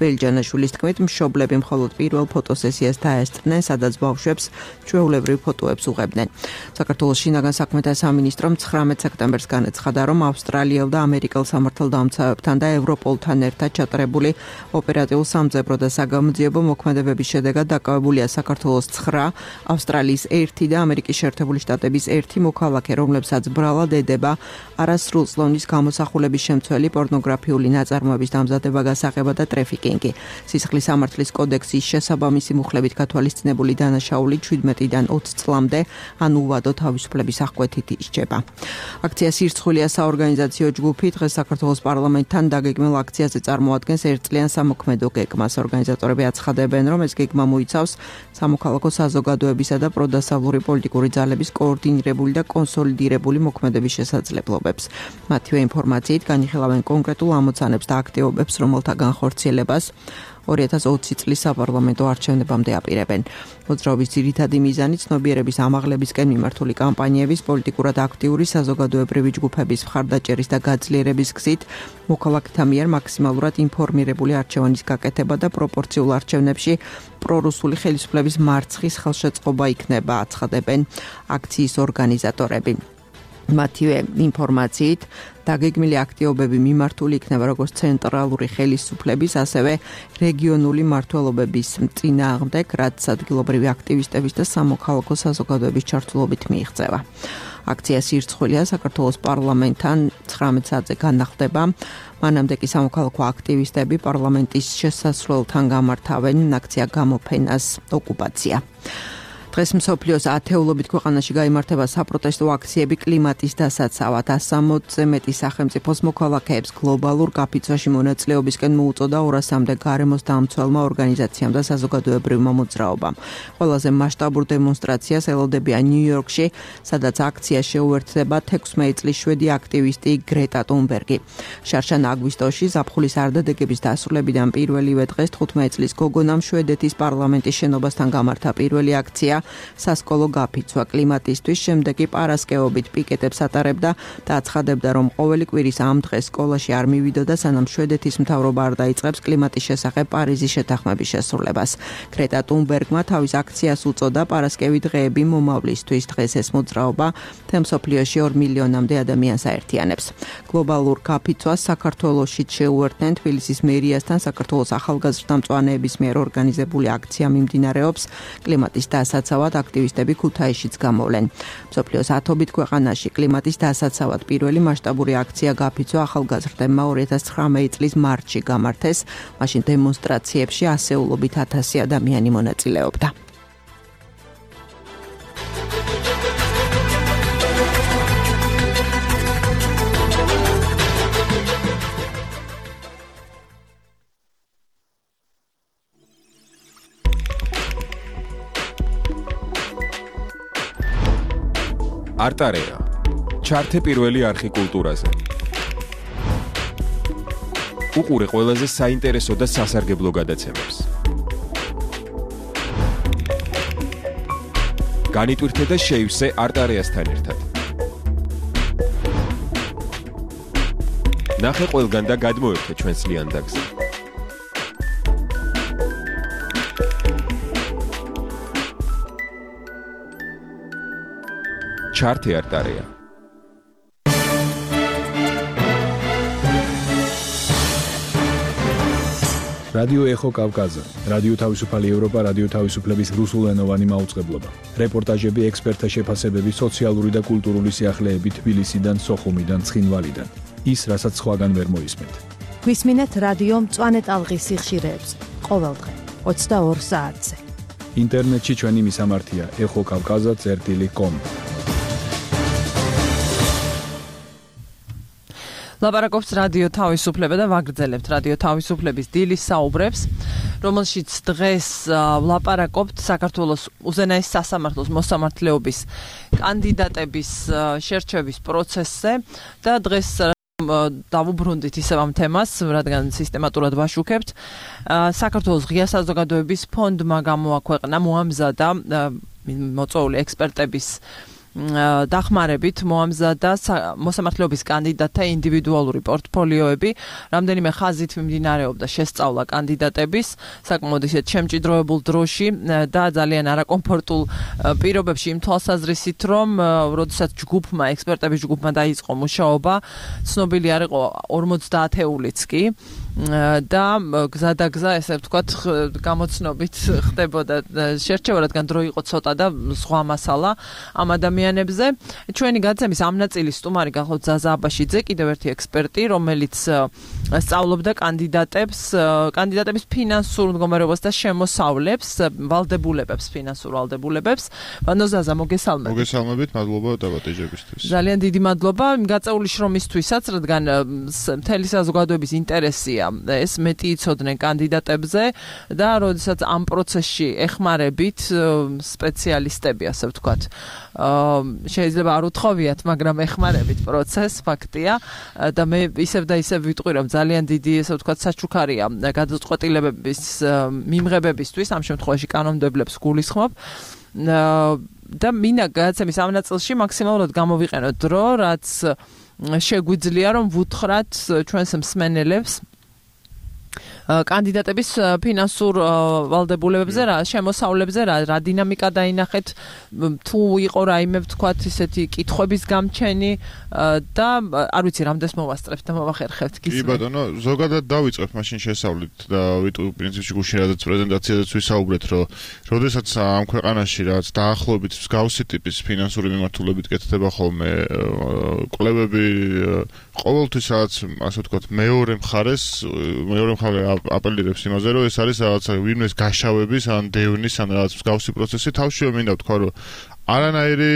ველიჯანაშვილის თქმით, მშობლები მხოლოდ პირველ ფოტოსესიას დაესწრნენ, სადაც ბავშვებს ჩვეულებრივ ფოტოებს უღებდნენ. საქართველოს შინაგან საქმეთა სამინისტრომ 19 სექტემბერს განაცხადა, რომ ავსტრალიელ და ამერიკელ სამართალდამცავებთან და ევროპოლთან ერთად ჩატარებული ოპერატიულ სამძებრო და საგამოძიებო მოქმედებების შედეგად დაკავებულია საქართველოს 9, ავსტრალიის 1 და ამერიკის შეერთებული შტატების 1 მოქალაქე, რომლებსაც ბრალად ედება არასრულწლოვნის გამოსახულების შემცველი პორნოგრაფიული ნაწარმოების დამზადება, გასაღება და ტრეფიკინგი. სისხლის სამართლის კოდექსის შესაბამისი მუხლებით გათვალისწინებული დანაშაული 17-დან 20 წლამდე ან უვადო თავისუფლების აღკვეთით ისჯება. აქცია სირცხვილია საორგანიზაციო ჯგუფი დღეს საქართველოს პარლამენტთან დაგეგმილ აქციაზე წარმოადგენს ერთწლიან სამოქმედო გეგმას. ორგანიზატორები აცხადებენ, რომ ეს გეგმა მოიცავს სამოქალაქო საზოგადოებისა და პროდასავლური პოლიტიკური ძალების კოორდინირებული და კონსოლიდირებული მოქმედების შესაძლებლობებს. მათივე ინფორმაციით განიხილავენ კონკრეტულ ამოცანებს და აქტივობებს, რომელთა განხორციელებას 2020 წლის საპარლამენტო არჩევნებამდე აპირებენ. მოძრაობის ძირითადი მიზანი ცნობიერების ამაღლებისკენ მიმართული კამპანიების, პოლიტიკურად აქტიური საზოგადოებრივი ჯგუფების მხარდაჭერის და გაძლიერების გზით მოქალაქეთა მიერ მაქსიმალურად ინფორმირებული არჩევანის გაკეთება და პროპორციულ არჩევნებში პრორუსული ხელისუფლების მარცხის ხელშეწყობა იქნება, აცხადებენ აქციის ორგანიზატორები. მათივე ინფორმაციით დაგეგმილი აქტივობები მიმართული იქნება როგორც ცენტრალური ხელისუფლების, ასევე რეგიონული მმართველობების წინააღმდეგ, რაც ადგილობრივი აქტივისტების და სამოქალაქო საზოგადოების ჩართულობით მიიღწევა. აქცია სირცხვილია საქართველოს პარლამენტთან 19 საათზე განახლდება. მანამდე კი სამოქალაქო აქტივისტები პარლამენტის შესასვლელთან გამართავენ აქცია გამოფენას ოკუპაცია. დღეს მსოფლიოს ათეულობით ქვეყანაში გაიმართება საპროტესტო აქციები კლიმატის დასაცავად. 160-ზე მეტი სახელმწიფოს მოქალაქეებს გლობალურ გაფიცვაში მონაწილეობისკენ მოუწოდა 200-მდე გარემოს დამცველმა ორგანიზაციამ და საზოგადოებრივმა მოძრაობამ. ყველაზე მასშტაბურ დემონსტრაციას ელოდებიან ნიუ-იორკში, სადაც აქცია შეუერთდება 16 წლის შვედი აქტივისტი გრეტა თუნბერგი. შარშან აგვისტოში ზაფხულის არდადეგების დასრულებიდან პირველივე დღეს 15 წლის გოგონამ შვედეთის პარლამენტის შენობასთან გამართა პირველი აქცია სასკოლო გაფიცვა კლიმატისთვის, შემდეგ კი პარასკევობით პიკეტებს ატარებდა და აცხადებდა, რომ ყოველი კვირის ამ დღეს სკოლაში არ მივიდოდა, სანამ შვედეთის მთავრობა არ დაიწყებს კლიმატის შესახებ პარიზის შეთანხმების შესრულებას. გრეტა თუნბერგმა თავის აქციას უწოდა პარასკევი დღეები მომავლისთვის. დღეს ეს მოძრაობა მთელ მსოფლიოში 2 მილიონამდე ადამიანს აერთიანებს. გლობალურ გაფიცვას საქართველოში შეუერთდნენ თბილისის მერიასთან საქართველოს ახალგაზრდა მწვანეების მიერ ორგანიზებული აქცია მიმდინარეობს. კლიმატის დასაცავად აქტივისტები ქუთაისშიც გამოვლენ. მსოფლიოს 10-ობით ქვეყანაში კლიმატის დასაცავად პირველი მასშტაბური აქცია გაფიცვა ახალგაზრდებმა 2019 წლის მარტში გამართეს. მაშინ დემონსტრაციებში ასეულობით 1000 ადამიანი მონაწილეობდა. არტარეა. ჩართე პირველი არხი კულტურაზე. უყურე ყველაზე საინტერესო და სასარგებლო გადაცემებს. განიტვირთე და შეივსე არტარეასთან ერთად. ნახე ყველგან და გადმოერთე ჩვენს ლიანდაგზე. ჩართე არტარეა. რადიო ეხო კავკაზა, რადიო თავისუფალი ევროპა, რადიო თავისუფლების რუსულენოვანი მაუწყებლობა. რეპორტაჟები, ექსპერტთა შეფასებები, სოციალური და კულტურული სიახლეები თბილისიდან, სოხუმიდან, ცხინვალიდან. ის, რასაც სხვაგან ვერ მოისმენთ. გვისმინეთ რადიო მწვანე ტალღის სიხშირეებს ყოველდღე 22 საათზე. ინტერნეტში ჩვენი მისამართია exokavkaza.com. ლაპარაკობს რადიო თავისუფლება და ვაგრძელებთ რადიო თავისუფლების დილის საუბრებს, რომელშიც დღეს ვლაპარაკობთ საქართველოს უზენაეს სასამართლოს მოსამართლეობის კანდიდატების შერჩევის პროცესზე და დღეს დავუბრუნდით ისევ ამ თემას, რადგან სისტემატურად ვაშუქებთ. საქართველოს ღია საზოგადოების ფონდმა გამოაქვეყნა მოამზადა მოწვეული ექსპერტების დახმარებით მოამზადა მოსამართლეობის კანდიდატთა ინდივიდუალური პორტფოლიოები, რამდენიმე ხაზით მიმდინარეობდა შესწავლა კანდიდატების, საკმაოდ ისეთ შემჭიდროებულ დროში და ძალიან არაკომფორტულ პირობებში იმ თვალსაზრისით, რომ როდესაც ექსპერტების ჯგუფმა დაიწყო მუშაობა, ცნობილი არ იყო 50-ეულიც კი და გზადაგზა, ესე ვთქვათ, გამოცნობით ხდებოდა შერჩევა, რადგან დრო იყო ცოტა და სხვა მასალა ამ ადამიანებზე. ჩვენი გაცემის ამ ნაწილის სტუმარი გახლავთ ზაზა აბაშიძე, კიდევ ერთი ექსპერტი, რომელიც სწავლობდა კანდიდატების ფინანსურ მდგომარეობას და შემოსავლებს, ფინანსურ ვალდებულებებს. ბანო ზაზა, მოგესალმებით. მოგესალმებით, მადლობა დაბადებისთვის. ძალიან დიდი მადლობა გაწეული შრომისთვისაც, რადგან მთელი საზოგადოების ინტერესია ეს მეტი იცოდნენ კანდიდატებზე და როდესაც ამ პროცესში ეხმარებით სპეციალისტები, ასე ვთქვათ, შეიძლება არ უთხოვიათ, მაგრამ ეხმარებით პროცესს, ფაქტია და მე ისევ და ისევ ვიტყვი, რომ ძალიან დიდი, ასე ვთქვათ, საჩუქარია გადაწყვეტილებების მიმღებებისთვის, ამ შემთხვევაში კანონმდებლებს გულისხმობ და მინდა გადაცემის ამ ნაწილში მაქსიმალურად გამოვიყენოთ დრო, რაც შეგვიძლია, რომ ვუთხრათ ჩვენს მსმენელებს კანდიდატების ფინანსურ ვალდებულებებზე, შემოსავლებზე, რა დინამიკა დაინახეთ, თუ იყო რაიმე, ვთქვათ, ისეთი კითხვების გამჩენი და არ ვიცი, რამდენს მოვასწრებთ და მოვახერხებთ გისმენთ. კი ბატონო, ზოგადად დავიწყებთ მაშინ შესავლით და ვიტყვი პრინციპში გუშინ რაღაც პრეზენტაციაზეც ვისაუბრეთ, რომ როდესაც ამ ქვეყანაში რაღაც დაახლოებით მსგავსი ტიპის ფინანსური მიმართულებით კეთდება ხოლმე კვლევები, ყოველთვის რაღაც, ასე ვთქვათ, მეორე მხარე აპელირებს იმაზე, რომ ეს არის რაღაცა ვინმეს გაშავების ან დევნის ან რაღაც მსგავსი პროცესი. თავშივე მინდა ვთქვა, რომ არანაირი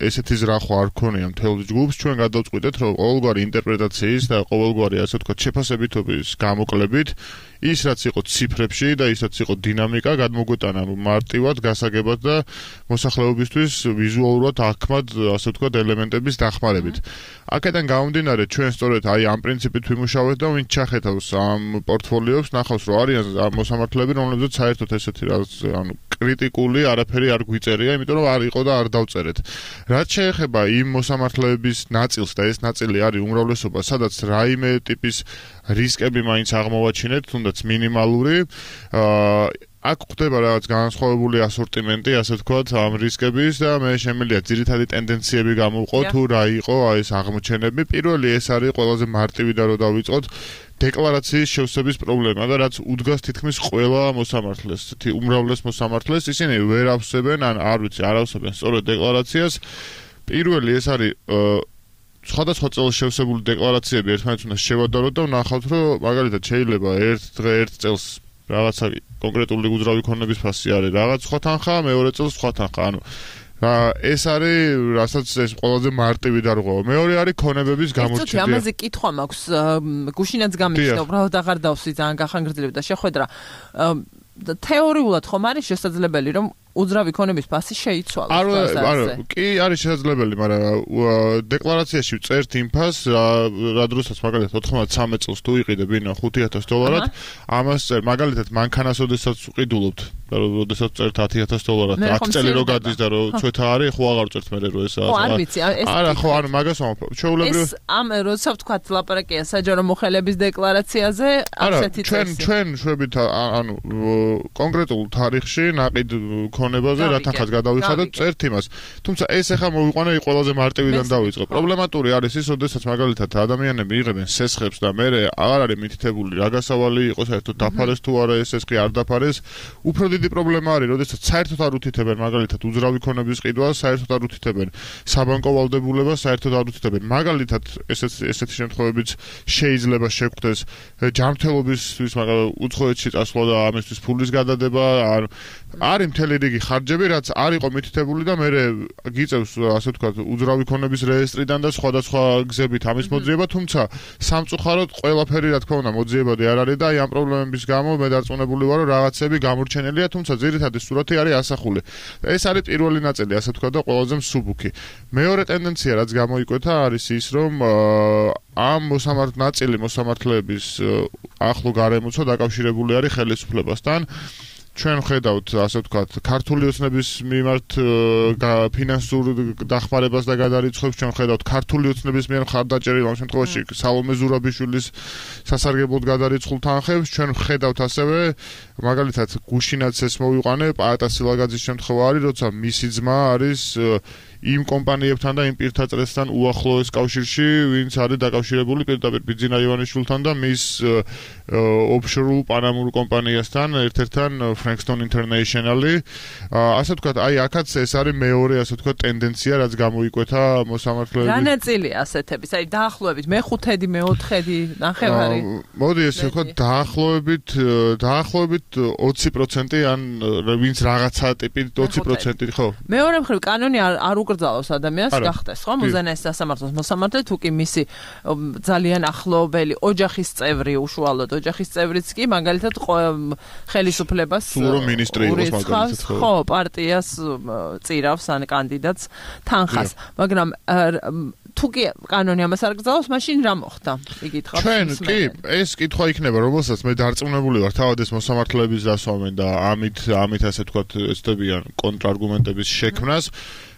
ესეთი ზრახვა არ ქონია მთელ ჯგუფს. ჩვენ გადავწყვიტეთ, რომ ყოველგვარი ინტერპრეტაციის და ყოველგვარი, ასე ვთქვათ, შეფასებითობის გამოკლებით ის რაც იყო ციფრებში და ის რაც იყო დინამიკა გადმოგვეტანა მარტივად, გასაგებად და მოსახლეობისთვის ვიზუალურად აქმად, ასე ვთქვათ, ელემენტების დახმარებით. აქედან გამომდინარე, ჩვენ სწორედ აი ამ პრინციპით ვიმუშავეთ და ვინც ჩახედავს ამ პორტფოლიოებს, ნახავს, რომ არიან მოსამართლეები, რომლებზეც საერთოდ ესეთი რაღაც, კრიტიკული არაფერი არ გვიწერია, იმიტომ რომ არ იყო და არ დავწერეთ. რაც შეეხება იმ მოსამართლეების ნაწილს და ეს ნაწილი არის უმრავლესობა, სადაც რაიმე ტიპის რისკები მაინც აღმოვაჩინეთ, თუნდაც მინიმალური, აქ ხდება რაღაც განსხვავებული ასორტიმენტი, ასე ვთქვათ, ამ რისკების და მე შემიძლია ძირითადი ტენდენციები გამოვყო, თუ რა იყო ეს აღმოჩენები. პირველი ეს არის ყველაზე მარტივი და რო დავიწყოთ, დეკლარაციის შევსების პრობლემა და რაც უდგას თითქმის ყველა მოსამართლეს, უმრავლეს მოსამართლეს, ისინი ვერ ავსებენ, ან არ ვიცი, არ ავსებენ სწორედ დეკლარაციას. პირველი ეს არის სხვადასხვა წელს შევსებული დეკლარაციები ერთმანეთს უნდა შევადაროთ და ვნახავთ, რომ მაგალითად შეიძლება ერთ წელს რაღაცა კონკრეტული უძრავი ქონების ფასი არის, რაღაც სხვა თანხა, მეორე წელს სხვა თანხა, ანუ ეს არის, რასაც ეს ყველაზე მარტივი დარღვევა. მეორე არის ქონებების გამორჩევა. ეს ამაზე კითხვა მაქვს, გუშინაც გამიჩნდა, უბრალოდ აღარ დავსვი, ძალიან გახანგრძლივდა შეხვედრა. თეორიულად ხომ არის შესაძლებელი, რომ უძრავი ქონების ფასი შეიცვალოს? კი, არის შესაძლებელი, მაგრამ დეკლარაციაში წერთ იმ ფასს, რა დროსაც მაგალითად 93 წელს თუ იყიდე ბინა $5,000, ამას წერ მაგალითად მანქანას ოდესაც ვყიდულობთ და როდესაც წერთ $10,000, 10 წელი რო გადის და რო ცვეთა არის, ხო აღარ წერთ მე რო ეს ხო, არ ვიცი, ეს არა, ხო, ანუ მაგას ვამბობ. ჩვეულებრივ ეს ამ როცა ვთქვათ ლაპარაკია საჯარო მოხელების დეკლარაციაზე, ასეთი წესი. ჩვენ შვებით ანუ კონკრეტულ თარიღში ნაყიდ ქონებაზე, რათანხმაც გადავიხადოთ, წერთ იმას. თუმცა ეს ახლა მოვიყვანე ყველაზე მარტივიდან დავიწყო. პრობლემატური არის ის, როდესაც მაგალითად ადამიანები იღებენ სესხებს და მე აღარ არის მითითებული რა გასავალი იყო საერთოდ დაფარეს თუ არა ეს სესხი არ დაფარეს. უფრო დიდი პრობლემა არის, როდესაც საერთოდ არ უთითებენ მაგალითად უძრავი ქონების ყიდვას, საერთოდ არ უთითებენ საბანკო ვალდებულებას, საერთოდ არ უთითებენ. მაგალითად ესეთი შემთხვევებიც შეიძლება შეგვხვდეს ჯანმრთელობისთვის, მაგრამ უცხოეთში წასვლა და ამისთვის ფულის გადადება, არის მთელი რიგი ხარჯები, რაც არ იყო მითითებული და მე გიწევს ასე ვთქვათ უძრავი ქონების რეესტრიდან და სხვადასხვა გზებით ამის მოძიება, თუმცა სამწუხაროდ ყველაფერი რა თქმა უნდა მოძიებადი არ არის და აი ამ პრობლემების გამო მე დარწმუნებული ვარ, რომ რაღაცები გამორჩენილია, თუმცა ძირითადი სურათი არის ასახული. ეს არის პირველი ნაწილი, ასე ვთქვათ და ყველაზე მსუბუქი. მეორე ტენდენცია, რაც გამოიკვეთა, არის ის, რომ ამ მოსამართლეების ახლო გარემოცვა დაკავშირებული არის ხელისუფლებასთან. ჩვენ ხედავთ, ასე ვთქვათ, ქართული ოცნების მიმართ ფინანსურ დახმარებას და გადარიცხვებს, ჩვენ ხედავთ ქართული ოცნების მიერ მხარდაჭერილ ამ შემთხვევაში სალომე ზურაბიშვილის სასარგებლოდ გადარიცხულ თანხებს, ჩვენ ხედავთ ასევე მაგალითად გუშინაც ეს მოვიყვანე პაატა სილაგაძის შემთხვევა არის, როცა მისი ძმა არის იმ კომპანიებთან და იმ პირთა წრესთან უახლოეს კავშირში, ვინც არის დაკავშირებული პირდაპირ ბიძინა ივანიშვილთან და მის ოფშორულ პანამურ კომპანიასთან, ერთ-ერთთან Frankston International-ი. ასე ვთქვათ, აი აქაც ეს არის მეორე, ასე ვთქვათ, ტენდენცია, რაც გამოიკვეთა მოსამართლეების. რა ნაწილია ასეთების? აი დაახლოებით მე-5-დი, მე-4-დი ნახევარი. მოდი ესე ვთქვათ, დაახლოებით 20% ან ვინც რაღაცა ტიპით 20%, ხო? მეორე მხრივ კანონი არ უკრძალავს ადამიანს გახდეს, ხო? მუზენაის სასამართლოს მოსამართლე თუ კი მისი ძალიან ახლობელი ოჯახის წევრი, უშუალოდ ოჯახის წევრიც კი მაგალითად ხელისუფლებას თუ რომ მინისტრი იყოს მაგალითად, ხო, პარტიას წირავს ან კანდიდატს თანხას, მაგრამ თუ კი კანონი ამას არ გრძალავს, მაშინ რა მოხდა? იკითხავს. ჩვენ კი ეს კითხვა იქნება, რომელსაც მე დარწმუნებული ვარ, თავად ეს მოსამართლეების დასვამენ და ამით ასე ვთქვათ, ეცდებიან კონტრარგუმენტების შექმნას.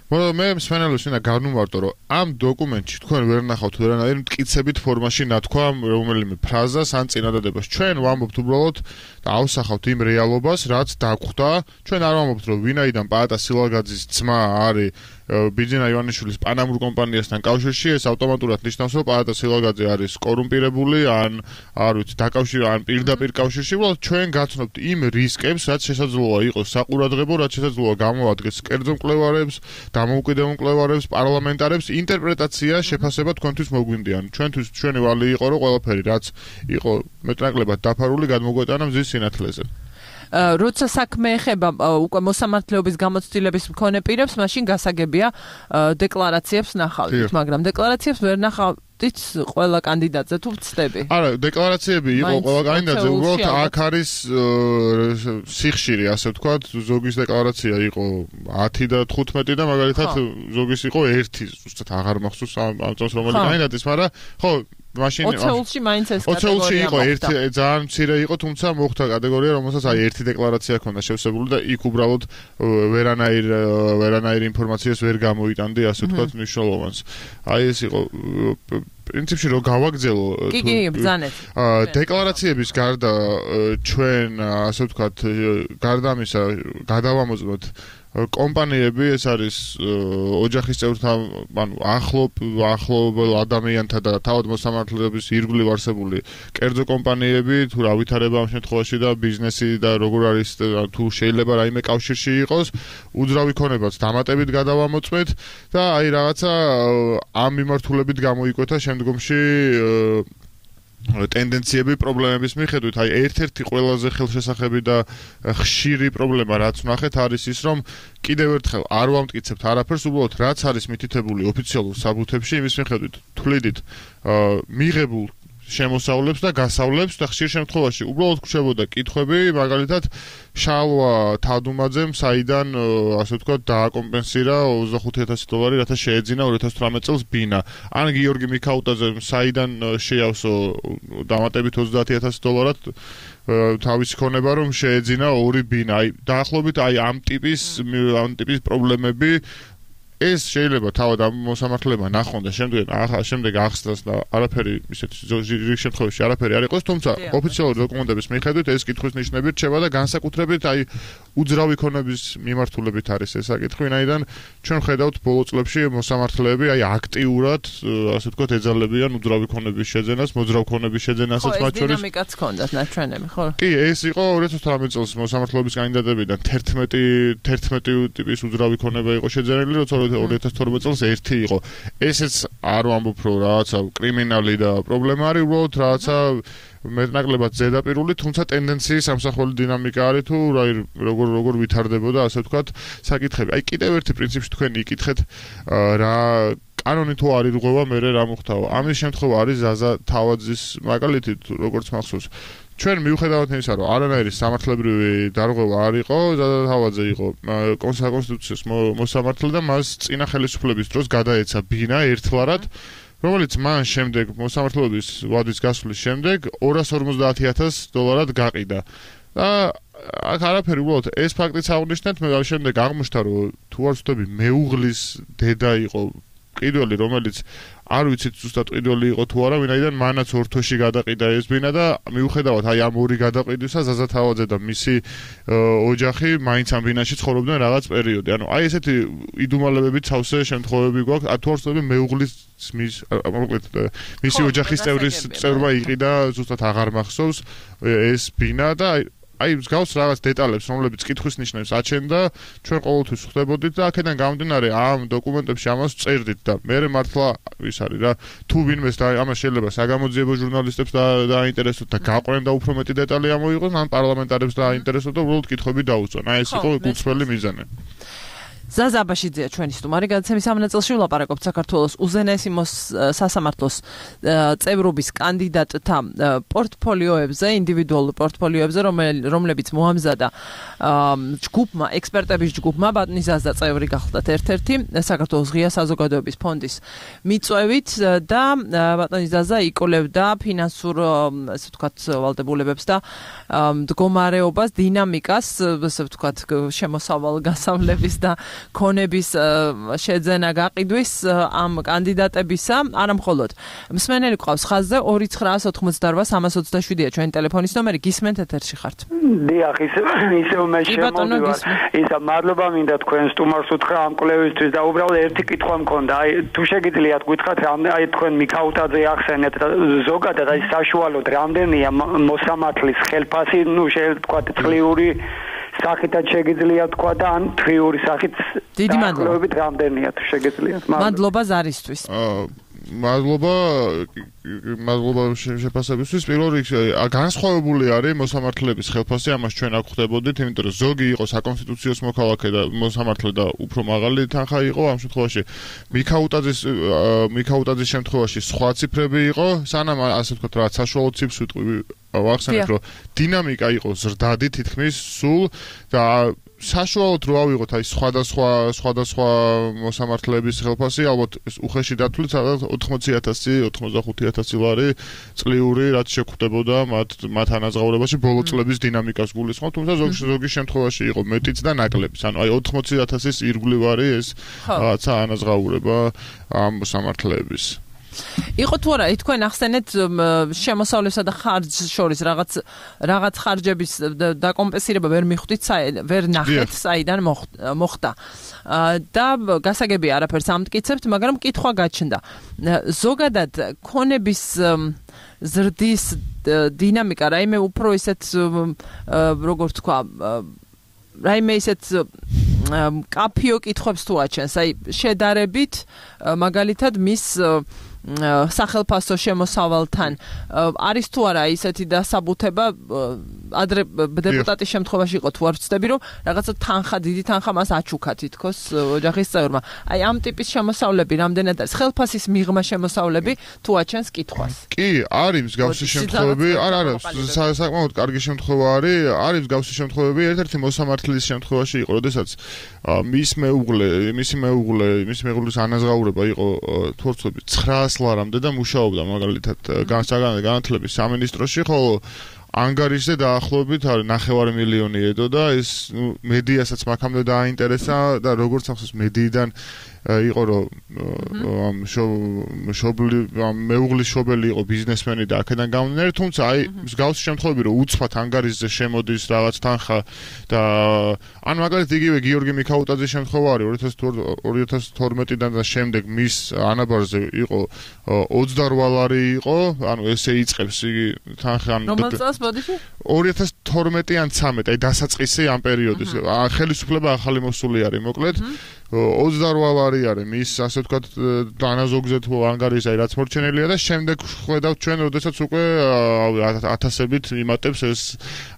მე მსმენელებს უნდა განვმარტო, რომ ამ დოკუმენტში თქვენ ვერ ნახავთ ვერანაირ მტკიცებით ფორმაში ნათქვამ რომელიმე ფრაზას ან წინადადებას. ჩვენ ვამბობთ უბრალოდ და ავსახავთ იმ რეალობას, რაც დაგვხვდა. ჩვენ არ ვამბობთ, რომ ვინაიდან პაატა სილაგაძის ძმა არის ბიძინა ივანიშვილის პანამურ კომპანიასთან კავშირში, ეს ავტომატურად ნიშნავს, რომ პაატა სილაგაძე არის კორუმპირებული ან არ ვიცი, ან პირდაპირ კავშირში. უბრალოდ ჩვენ გაცნობთ იმ რისკებს, რაც შესაძლოა იყოს საყურადღებო, რაც შესაძლოა გამოადგეს კერძო მკვლევარებს, დამოუკიდებელ მკვლევარებს, პარლამენტარებს, ინტერპრეტაცია, შეფასება თქვენთვის მოგვინდიან. ჩვენთვის ჩვენი ვალი იყო, რომ ყველაფერი, რაც იყო მეტნაკლებად დაფარული, გადმოგვეტანა მზის სინათლეზე. როცა საქმე ეხება უკვე მოსამართლეობის გამოცდილების მქონე პირებს, მაშინ გასაგებია დეკლარაციებს ნახავთ, მაგრამ დეკლარაციებს ვერ ნახავთ ყველა კანდიდატზე თუ ვცდები. არა, დეკლარაციები იყო ყველა კანდიდატზე, უბრალოდ აქ არის სიხშირი, ასე ვთქვათ, ზოგის დეკლარაცია იყო 10 და 15 და მაგალითად ზოგის იყო 1, ზუსტად აღარ მახსოვს ამ წელს რომელი კანდიდატის, მაგრამ ხო მაშინ 20-ში მაინც ეს კატეგორია იყო ძალიან მცირე იყო, თუმცა მოხდა კატეგორია, რომელსაც აი ერთი დეკლარაცია ჰქონდა შევსებული და იქ უბრალოდ ვერანაირ ინფორმაციას ვერ გამოიტანდი, ასე ვთქვათ, მნიშვნელოვანს. აი ეს იყო პრინციპში რომ გავაგზელო კი, ბრძანეთ. დეკლარაციების გარდა ჩვენ, ასე ვთქვათ, გარდა ამისა გადავამოწმოთ კომპანიები, ეს არის ოჯახის წევრთან, ანუ ახლობელ ადამიანთა და თავად მოსამართლეების ირგვლივ არსებული კერძო კომპანიები, თუ რა ვითარება ამ შემთხვევაში და ბიზნესი და როგორ არის თუ შეიძლება რაიმე კავშირში იყოს, უძრავი ქონებაც დამატებით გადავამოწმეთ და აი რაღაცა ამ მიმართულებით გამოიკვეთა შემდგომში ტენდენციები პრობლემების მიხედვით. აი ერთ-ერთი ყველაზე ხელშესახები და ხშირი პრობლემა რაც ვნახეთ არის ის, რომ კიდევ ერთხელ არ ვამტკიცებთ არაფერს, უბრალოდ რაც არის მითითებული ოფიციალურ საბუთებში, იმის მიხედვით თვლიდით მიღებულ შემოსავლებს და გასავლებს და ხშირ შემთხვევაში უბრალოდ გვხვდებოდა კითხვები, მაგალითად შალვა თადუმაძემ საიდან, ასე ვთქვათ, დააკომპენსირა $25,000, რათა შეეძინა 2018 წელს ბინა. ან გიორგი მიქაუტაძემ საიდან შეავსო დამატებით $30,000 თავისი ქონება, რომ შეეძინა 2 ბინა. აი დაახლოებით აი ამ ტიპის პრობლემები ეს შეიძლება თავად ამ მოსამართლებმა ნახონ და შემდეგ ახსნას და არაფერი ისეთი რიგ შემთხვევაში არაფერი არ იყოს, თუმცა ოფიციალური დოკუმენტების მიხედვით ეს კითხვის ნიშნები რჩება და განსაკუთრებით აი უძრავი ქონების მიმართულებით არის ეს საკითხი, ვინაიდან ჩვენ ხედავთ ბოლო წლებში მოსამართლეები აი აქტიურად, ასე ვთქვათ, ეძალებიან უძრავი ქონების შეძენას, მოძრავ ქონების შეძენასაც მათ შორის. ეს დინამიკაც ჰქონდათ ნაჩვენები, ხო? კი, ეს იყო 2018 წელს მოსამართლეობის კანდიდატებიდან 11 ტიპის უძრავი ქონება იყო შეძენილი, როცა 2012 წელს ერთი იყო. ესეც არ ვამბობ, რომ რაღაცა კრიმინალი და პრობლემა არის, უბრალოდ რაღაცა მეტნაკლებად ზედაპირული, თუმცა ტენდენციის სამსახველი დინამიკა არის თუ როგორ ვითარდებოდა, ასე ვთქვათ, საკითხები. აი კიდევ ერთი პრინციპში თქვენ იკითხეთ რა კანონი თუ არ ირღვევა, მერე რა მოხდაო. ამის შემთხვევა არის ზაზა თავაძის მაგალითი, როგორც მახსოვს. ჩვენ მიუხედავად იმისა, რომ არანაირი სამართლებრივი დარღვევა არ იყო, ზაზა თავაძე იყო კონსტიტუციის მოსამართლე და მას წინა ხელისუფლების დროს გადაეცა ბინა ერთლარად, რომელიც მან შემდეგ მოსამართლეობის ვადის გასვლის შემდეგ $250,000 გაყიდა. და აქ არაფერი უბრალოდ ეს ფაქტიც აღნიშნეთ, მე შემდეგ აღმოჩნდა, რომ თუ არ ვცდები, მეუღლის დედა იყო ყიდველი, რომელიც არ ვიცით ზუსტად ყიდველი იყო თუ არა, ვინაიდან მანაც ორთოში გადაყიდა ეს ბინა და მიუხედავად აი ამ ორი გადაყიდვისა ზაზა თავაძე და მისი ოჯახი მაინც ამ ბინაში ცხოვრობდნენ რაღაც პერიოდი. ანუ აი ესეთი იდუმალებებით სავსე შემთხვევები გვაქვს. თუ არ ვცდები, მეუღლის მისი ოჯახის წევრმა იყიდა, ზუსტად აღარ მახსოვს ეს ბინა და აი მსგავს რაღაც დეტალებს, რომლებიც კითხვის ნიშნებს აჩენდა, ჩვენ ყოველთვის ხვდებოდით და აქედან გამომდინარე ამ დოკუმენტებში ამას წერდით და მე მართლა ის არის რა, თუ ვინმეს და ამას შეიძლება საგამოძიებო ჟურნალისტებს დააინტერესოთ და გაყვნენ და უფრო მეტი დეტალი ამოიღოს, ან პარლამენტარებს დააინტერესოთ და უბრალოდ კითხვები დაუწონ. აი ეს იყო გულწრფელი მიზანი. ზაზა აბაშიძეა ჩვენი სტუმარი. გადაცემის ამ ნაწილში ვლაპარაკობთ საქართველოს უზენაესი სასამართლოს წევრობის კანდიდატთა პორტფოლიოებზე, ინდივიდუალურ პორტფოლიოებზე, რომლებიც მოამზადა ჯგუფმა, ექსპერტების ჯგუფმა, ბატონი ზაზა წევრი გახლდათ ერთ-ერთი საქართველოს ღია საზოგადოების ფონდის მიწვევით და ბატონი ზაზა იკვლევდა ფინანსურ, ასე ვთქვათ, ვალდებულებებს და მდგომარეობას, დინამიკას, ასე ვთქვათ, შემოსავალ-გასავლების და ქონების შეძენა გაყიდვის ამ კანდიდატებისა, არა მხოლოდ. მსმენელი ყავს ხაზზე 2988327-ია ჩვენი ტელეფონის ნომერი, გისმენთ ეთერში ხართ. დიახ, ისევ მე შემოვიდა. ისა მადლობა მინდა თქვენ სტუმარს უთხრა ამ კვლევისთვის და უბრალოდ ერთი კითხვა მქონდა. აი თუ შეგიძლიათ გითხრათ, აი თქვენ მიქაუტაძე ახსენეთ ზოგადად აი საშუალოდ რამდენია მოსამართლის ხელფასი, შეიძლება თქვა წლიური სახითაც შეგიძლიათ თქვა და ან თვიური სახით დიდი მადლობა რამდენია თუ შეგიძლიათ. მადლობა ზარისთვის. მადლობა შეფასებისთვის. პირველ რიგში განსხვავებული არის მოსამართლეების ხელფასი, ამას ჩვენ აქ ხვდებოდით, იმიტომ რომ ზოგი იყო საკონსტიტუციო მოქალაქე და მოსამართლე და უფრო მაღალი თანხა იყო, ამ შემთხვევაში მიქაუტაძის შემთხვევაში სხვა ციფრები იყო, სანამ ასე ვთქვათ, რა საშუალო ციფრს ვიტყვი ვახსენებ, რომ დინამიკა იყო ზრდადი თითქმის სულ და საშუალოდ რო ავიღოთ აი სხვადასხვა მოსამართლეების ხელფასი, ალბათ უხეში დათვლით სადღაც 80,000, 85,000 ლარი წლიური, რაც შეგვხვდებოდა მათ ანაზღაურებაში ბოლო წლების დინამიკას გულისხმობ, თუმცა ზოგი შემთხვევაში იყო მეტიც და ნაკლებიც. ანუ აი 80,000-ის ირგვლივ არის ეს რაღაცა ანაზღაურება ამ მოსამართლეების. იყო თუ არა, თქვენ ახსენეთ შემოსავლისა და ხარჯს შორის რაღაც ხარჯების დაკომპენსირება ვერ მიხვდით, ვერ ნახეთ, საიდან მოხდა. და გასაგებია არაფერს ამტკიცებთ, მაგრამ კითხვა გაჩნდა. ზოგადად ქონების ზრდის დინამიკა, რაიმე უფრო ისეთ როგორ თქვა, რაიმე ისეთ კაფიო კითხვებს თუ აჩენს, აი შედარებით მაგალითად მის სახელფასო შემოსავალთან არის თუ არა ისეთი დასაბუთება, ადრე დეპუტატის შემთხვევაში იყო, თუ არ ვცდები, რომ რაღაცა თანხა, დიდი თანხა მას აჩუქა თითქოს ოჯახის წევრმა. აი ამ ტიპის შემოსავლები რამდენად არის? ხელფასის მიღმა შემოსავლები თუ აჩენს კითხვას? კი, არის მსგავსი შემთხვევები, არა, საკმაოდ კარგი შემთხვევა არის მსგავსი შემთხვევები, ერთ-ერთი მოსამართლის შემთხვევაში იყო, როდესაც მისი მეუღლის ანაზღაურება იყო თუ არ ვცდები 900 ლარამდე და მუშაობდა მაგალითად განათლების სამინისტროში, ხოლო ანგარიშზე დაახლოებით 9,5 მილიონი ედო და ეს მედიასაც მაგამდე დააინტერესა და როგორც ახსოვს მედიიდან იყო რომ მეუღლის შობელი იყო ბიზნესმენი და აქედან გამომდინარე, თუმცა აი მსგავსი შემთხვევები რომ უცბად ანგარიშზე შემოდის რაღაც თანხა და ან მაგალითად იგივე გიორგი მიქაუტაძის შემთხვევა არის 2012-დან და შემდეგ მის ანაბარზე იყო 28 ლარი იყო, ანუ ესე იწყებს იგი თანხა ანუ რომელ წელს ბოდიში 2012 ან 13 აი დასაწყისი ამ პერიოდის ხელისუფლება ახალი მოსული არის მოკლედ 28 ლარი არის მის ასე ვთქვათ დანაზოგზე თუ ანგარიში აი რაც მორჩენელია და შემდეგ ხედავთ ჩვენ როდესაც უკვე ათასებით იმატებს ეს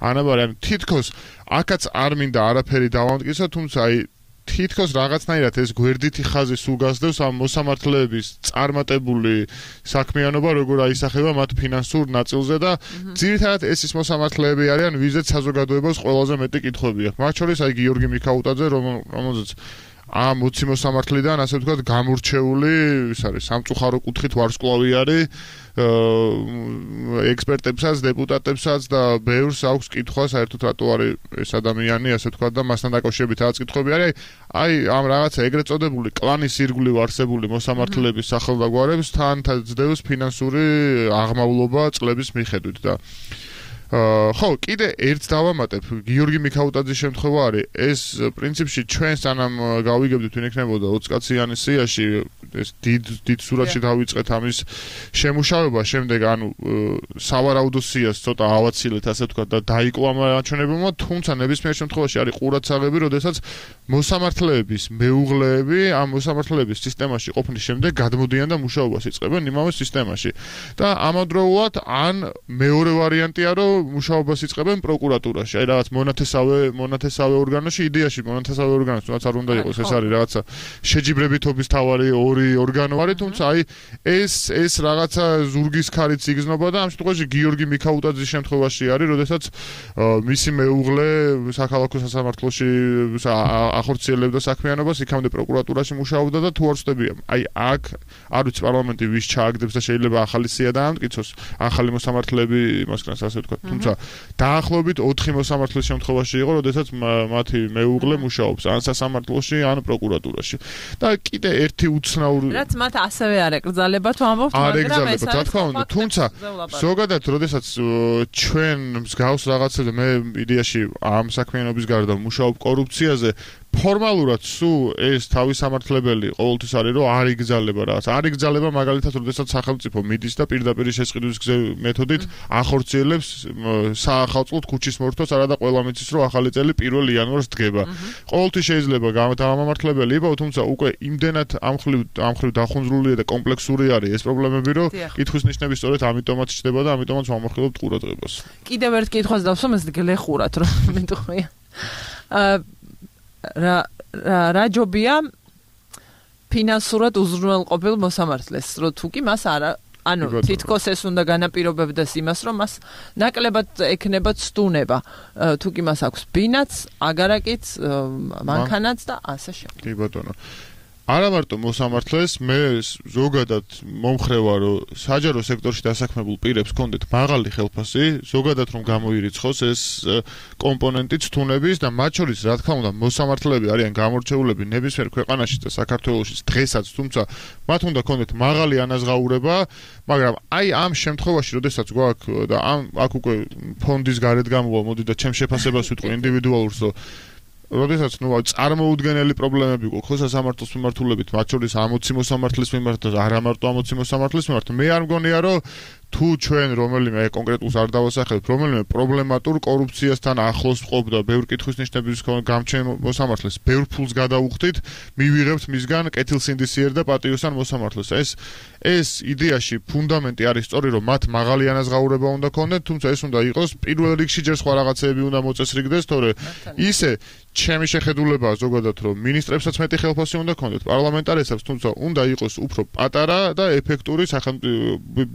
ანაბარი ანუ თითქოს აქაც არ მინდა არაფერი დავამტკიცო თუმცა აი თითქოს რაღაცნაირად ეს გვერდითი ხაზი სულ გასდევს ამ მოსამართლეების წარმატებული საქმიანობა როგორ აისახება მათ ფინანსურ ნაწილზე და ძირითადად ეს ის მოსამართლეები არიან ვიზეთ საზოგადოებას ყველაზე მეტი კითხვები აქვს მათ შორის აი გიორგი მიქაუტაძე რომელზეც ამ 20 მოსამართლიდან ასე ვთქვათ გამორჩეული ის არის სამწუხარო კუთხით ვარსკვლავი არის ექსპერტებსაც, დეპუტატებსაც და ბევრს აქვს კითხვა საერთოდ რატო არის ეს ადამიანი ასე ვთქვათ და მასთან დაკავშირებით რაღაც კითხვები არის აი ამ რაღაცა ეგრეთ წოდებული კლანის ირგვლივ არსებული მოსამართლეების სახელდაგვარებს თან ძდევს ფინანსური აღმავლობა წლების მიხედვით და ხო, კიდე ერთს დავამატებ, გიორგი მიქაუტაძის შემთხვევა არის, ეს პრინციპში ჩვენ სანამ გავიგებდით ვინ ექნებოდა 20 კაციანის სიაში, ეს დიდ სურათში დავიწყეთ ამის შემუშავება, შემდეგ ანუ სავარაუდო სიას ცოტა ავაცილეთ, ასე ვთქვათ და დაიკლო ამ აჩვენებებმა, თუმცა ნებისმიერ შემთხვევაში არის ყურადსაღები, როდესაც მოსამართლეების მეუღლეები ამ მოსამართლეების სისტემაში ყოფნის შემდეგ გადმოდიან და მუშაობას იწყებენ იმავე სისტემაში. და ამავდროულად ან მეორე ვარიანტია, რომ მუშაობას იწყებენ პროკურატურაში. აი რაღაც მონათესავე ორგანოში, იდეაში მონათესავე ორგანოში, რაც არ უნდა იყოს, ეს არის რაღაცა შეჯიბრებითობის თავარი ორი ორგანო არის, თუმცა აი ეს რაღაცა ზურგის ქარით იგრძნობა და ამ შემთხვევაში გიორგი მიქაუტაძის შემთხვევაში არის, როდესაც მისი მეუღლე საქალაქო სასამართლოში ახორციელებდა საქმიანობას, იქამდე პროკურატურაში მუშაობდა და თუ არ ვწდები, აი აქ არ ვიცი პარლამენტი ვის ჩააგდებს და შეიძლება ახალი სია დაამტკიცოს, ახალი მოსამართლეები იმასგანს ასე ვთქვათ. თუმცა დაახლოებით 4 მოსამართლის შემთხვევაში იყო, როდესაც მათი მეუღლე მუშაობს ან სასამართლოში, ან პროკურატურაში. და კიდე ერთი უცნაური რაც მათ ასევე არ ეკრძალება თუ ამბობთ, მაგრამ ეს რა თქმა უნდა, თუმცა ზოგადად როდესაც ჩვენ მსგავს რაღაცებზე მე იდეაში ამ საქმიანობის გარდა მუშაობ კორუფციაზე ფორმალურად სულ ეს თავისამართლებელი ყოველთვის არის რომ არ იგზალება რაღაც. არ იგზალება მაგალითად როდესაც სახელმწიფო მიდის და პირდაპირ შესყიდვის მეთოდით ახორციელებს საახალწლოდ ქუჩის მორთვას, არადა ყველა მიცის რომ ახალი წელი 1 იანვარს დგება. ყოველთვის შეიძლება გამამართლებელი იყო, თუმცა უკვე იმდენად ამხრივ დახუნძრულია და კომპლექსური არის ეს პრობლემები, რომ კითხვის ნიშნები სწორედ ამიტომაც ჩდება და ამიტომაც ვამახვილებთ ყურადღებას. კიდევ ერთ კითხვას დავსვამ, ეს გლეხურად რომ მეტყვია. რა ჯობია ფინანსურად უზრუნველყოფილ მოსამართლეს, რომ თუ კი მას არა, ანუ თითქოს ეს უნდა განაპირობებდეს იმას, რომ მას ნაკლებად ექნება ცდუნება, თუ კი მას აქვს ბინაც, აგარაკიც, მანქანაც და ასე შემდეგ. კი ბატონო. არა მარტო მოსამართლეს, მე ზოგადად მომხრევა, რომ საჯარო სექტორში დასაქმებულ პირებს კონდეთ მაღალი ხელფასი, ზოგადად რომ გამოირიცხოს ეს კომპონენტი ცდუნების და მათ შორის, რა თქმა უნდა, მოსამართლეები არიან გამორჩეულები ნებისმიერ ქვეყანაში და საქართველოშიც დღესაც, თუმცა მათ უნდა კონდეთ მაღალი ანაზღაურება, მაგრამ აი ამ შემთხვევაში, როდესაც გვაქვს და აქ უკვე ფონდის გარეთ გამოვა, მოდი და ჩემს შეფასებას ვიტყვი ინდივიდუალურს, რომ როდესაც წარმოუდგენელი პრობლემები გვაქვს სასამართლოს მიმართულებით, მათ შორის 60 მოსამართლის მიმართ და არა მარტო 60 მოსამართლის მიმართ, მე არ მგონია რომ თუ ჩვენ რომელიმე კონკრეტულს არ დავასახელებ, რომელიმე პრობლემატურ კორუფციასთან ახლოს ვყოფ და ბევრ კითხვის ნიშნების გამჩენ მოსამართლეს, ბევრ ფულს გადავუხდით, მივიღებთ მისგან კეთილსინდისიერ და პატიოსან მოსამართლეს. ეს იდეაში ფუნდამენტი არის სწორი, რომ მათ მაღალი ანაზღაურება უნდა ქონდეთ, თუმცა ეს უნდა იყოს პირველ რიგში ჯერ სხვა რაღაცეები უნდა მოწესრიგდეს, თორე ისე ჩემი შეხედულებაა ზოგადად, რომ მინისტრებსაც მეტი ხელფასი უნდა ქონდეთ, პარლამენტარებსაც, თუმცა უნდა იყოს უფრო პატარა და ეფექტური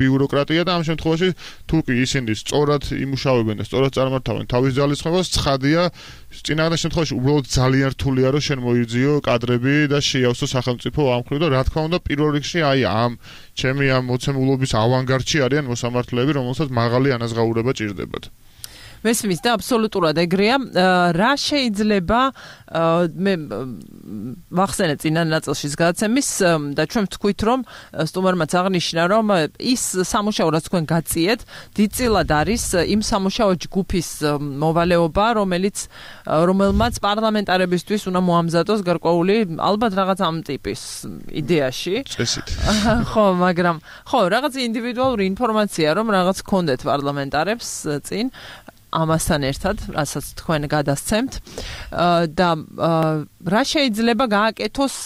ბიუროკრატია და ამ შემთხვევაში თუ კი ისინი სწორად იმუშავებენ და სწორად წარმართავენ თავის ძალისხმევას, ცხადია, წინააღმდეგ შემთხვევაში უბრალოდ ძალიან რთულია რომ შენ მოიძიო კადრები და შეიავსო სახელმწიფო ამხრივ და რა თქმა უნდა პირველ რიგში აი ამ ჩემი ამ მოცემულობის ავანგარდში არიან მოსამართლეები, რომელსაც მაღალი ანაზღაურება ჭირდებათ. მესმის და აბსოლუტურად ეგრეა. რა შეიძლება მე ვახსენე წინა ნაწილშიც გადაცემის და ჩვენ ვთქვით რომ სტუმარმაც აღნიშნა რომ ის სამუშაო რაც თქვენ გაწიეთ დიდწილად არის იმ სამუშაო ჯგუფის მოვალეობა რომელმაც პარლამენტარებისთვის უნდა მოამზადოს გარკვეული ალბათ რაღაც ამ ტიპის იდეაში წესით ხო მაგრამ ხო რაღაც ინდივიდუალური ინფორმაცია რომ რაღაც გქონდეთ პარლამენტარებს წინ ამასთან ერთად, რასაც თქვენ გადასცემთ და რა შეიძლება გააკეთოს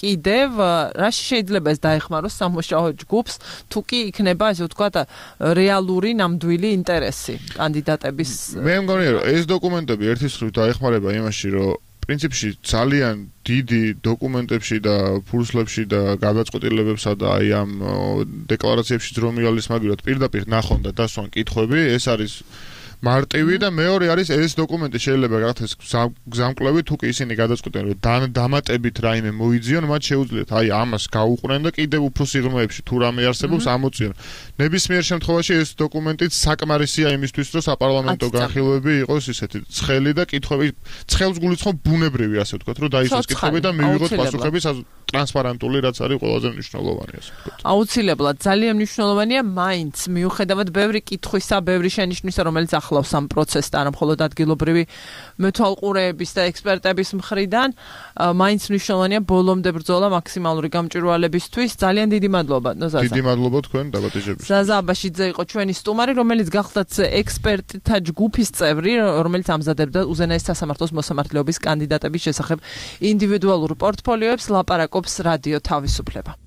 კიდევ, რა შეიძლება ეს დაეხმაროს სამუშაო ჯგუფს, თუ კი იქნება ასე ვთქვათ რეალური ნამდვილი ინტერესი კანდიდატების. მე მგონია რომ ეს დოკუმენტები ერთის მხრივ დაეხმარება იმაში, რომ პრინციპში ძალიან დიდი დოკუმენტებში და ფურსლებში და გადაწყვეტილებებსა და აი ამ დეკლარაციებში რომ მიალისმაგიროთ პირდაპირ ნახონ და დასვან კითხვები, ეს არის მარტივი და მეორე არის ეს დოკუმენტი შეიძლება გახდეს გზამკვლევი თუ კი ისინი გადაწყვეტენ რომ დამატებით რაიმე მოიძიონ მათ შეუძლიათ აი ამას გაუყრენ და კიდევ უფრო სიღრმეებში თუ რამე არსებობს ამოწიონ ნებისმიერ შემთხვევაში ეს დოკუმენტიც საკმარისია იმისთვის რომ საპარლამენტო განხილვები იყოს ისეთი ცხელი და კითხვები ცხელს გულისხმობ ბუნებრივი ასე ვთქვათ რომ დაისვას კითხვები და მივიღოთ პასუხები ტრანსპარენტული რაც არის ყველაზე მნიშვნელოვანი ასე ვთქვათ აუცილებლად ძალიან მნიშვნელოვანია მაინც მიუხედავად ბევრი კითხვისა ბევრი შენიშვნისა რომელიც ახლავს ამ პროცესს და არა მხოლოდ ადგილობრივი მეთვალყურეების და ექსპერტების მხრიდან მაინც მნიშვნელოვანია ბოლომდე ბრძოლა მაქსიმალური გამჭვირვალებისთვის ძალიან დიდი მადლობა ნოზაზა დიდი მადლობა თქვენ დაბადებისთვის ზაზა აბაშიძე იყო ჩვენი სტუმარი რომელიც გახლდათ ექსპერტთა ჯგუფის წევრი რომელიც ამზადებდა უზენაეს სასამართლოს მოსამართლეობის კანდიდატების შესახებ ინდივიდუალურ პორტფოლიოებს ლაპარაკობს რადიო თავისუფლება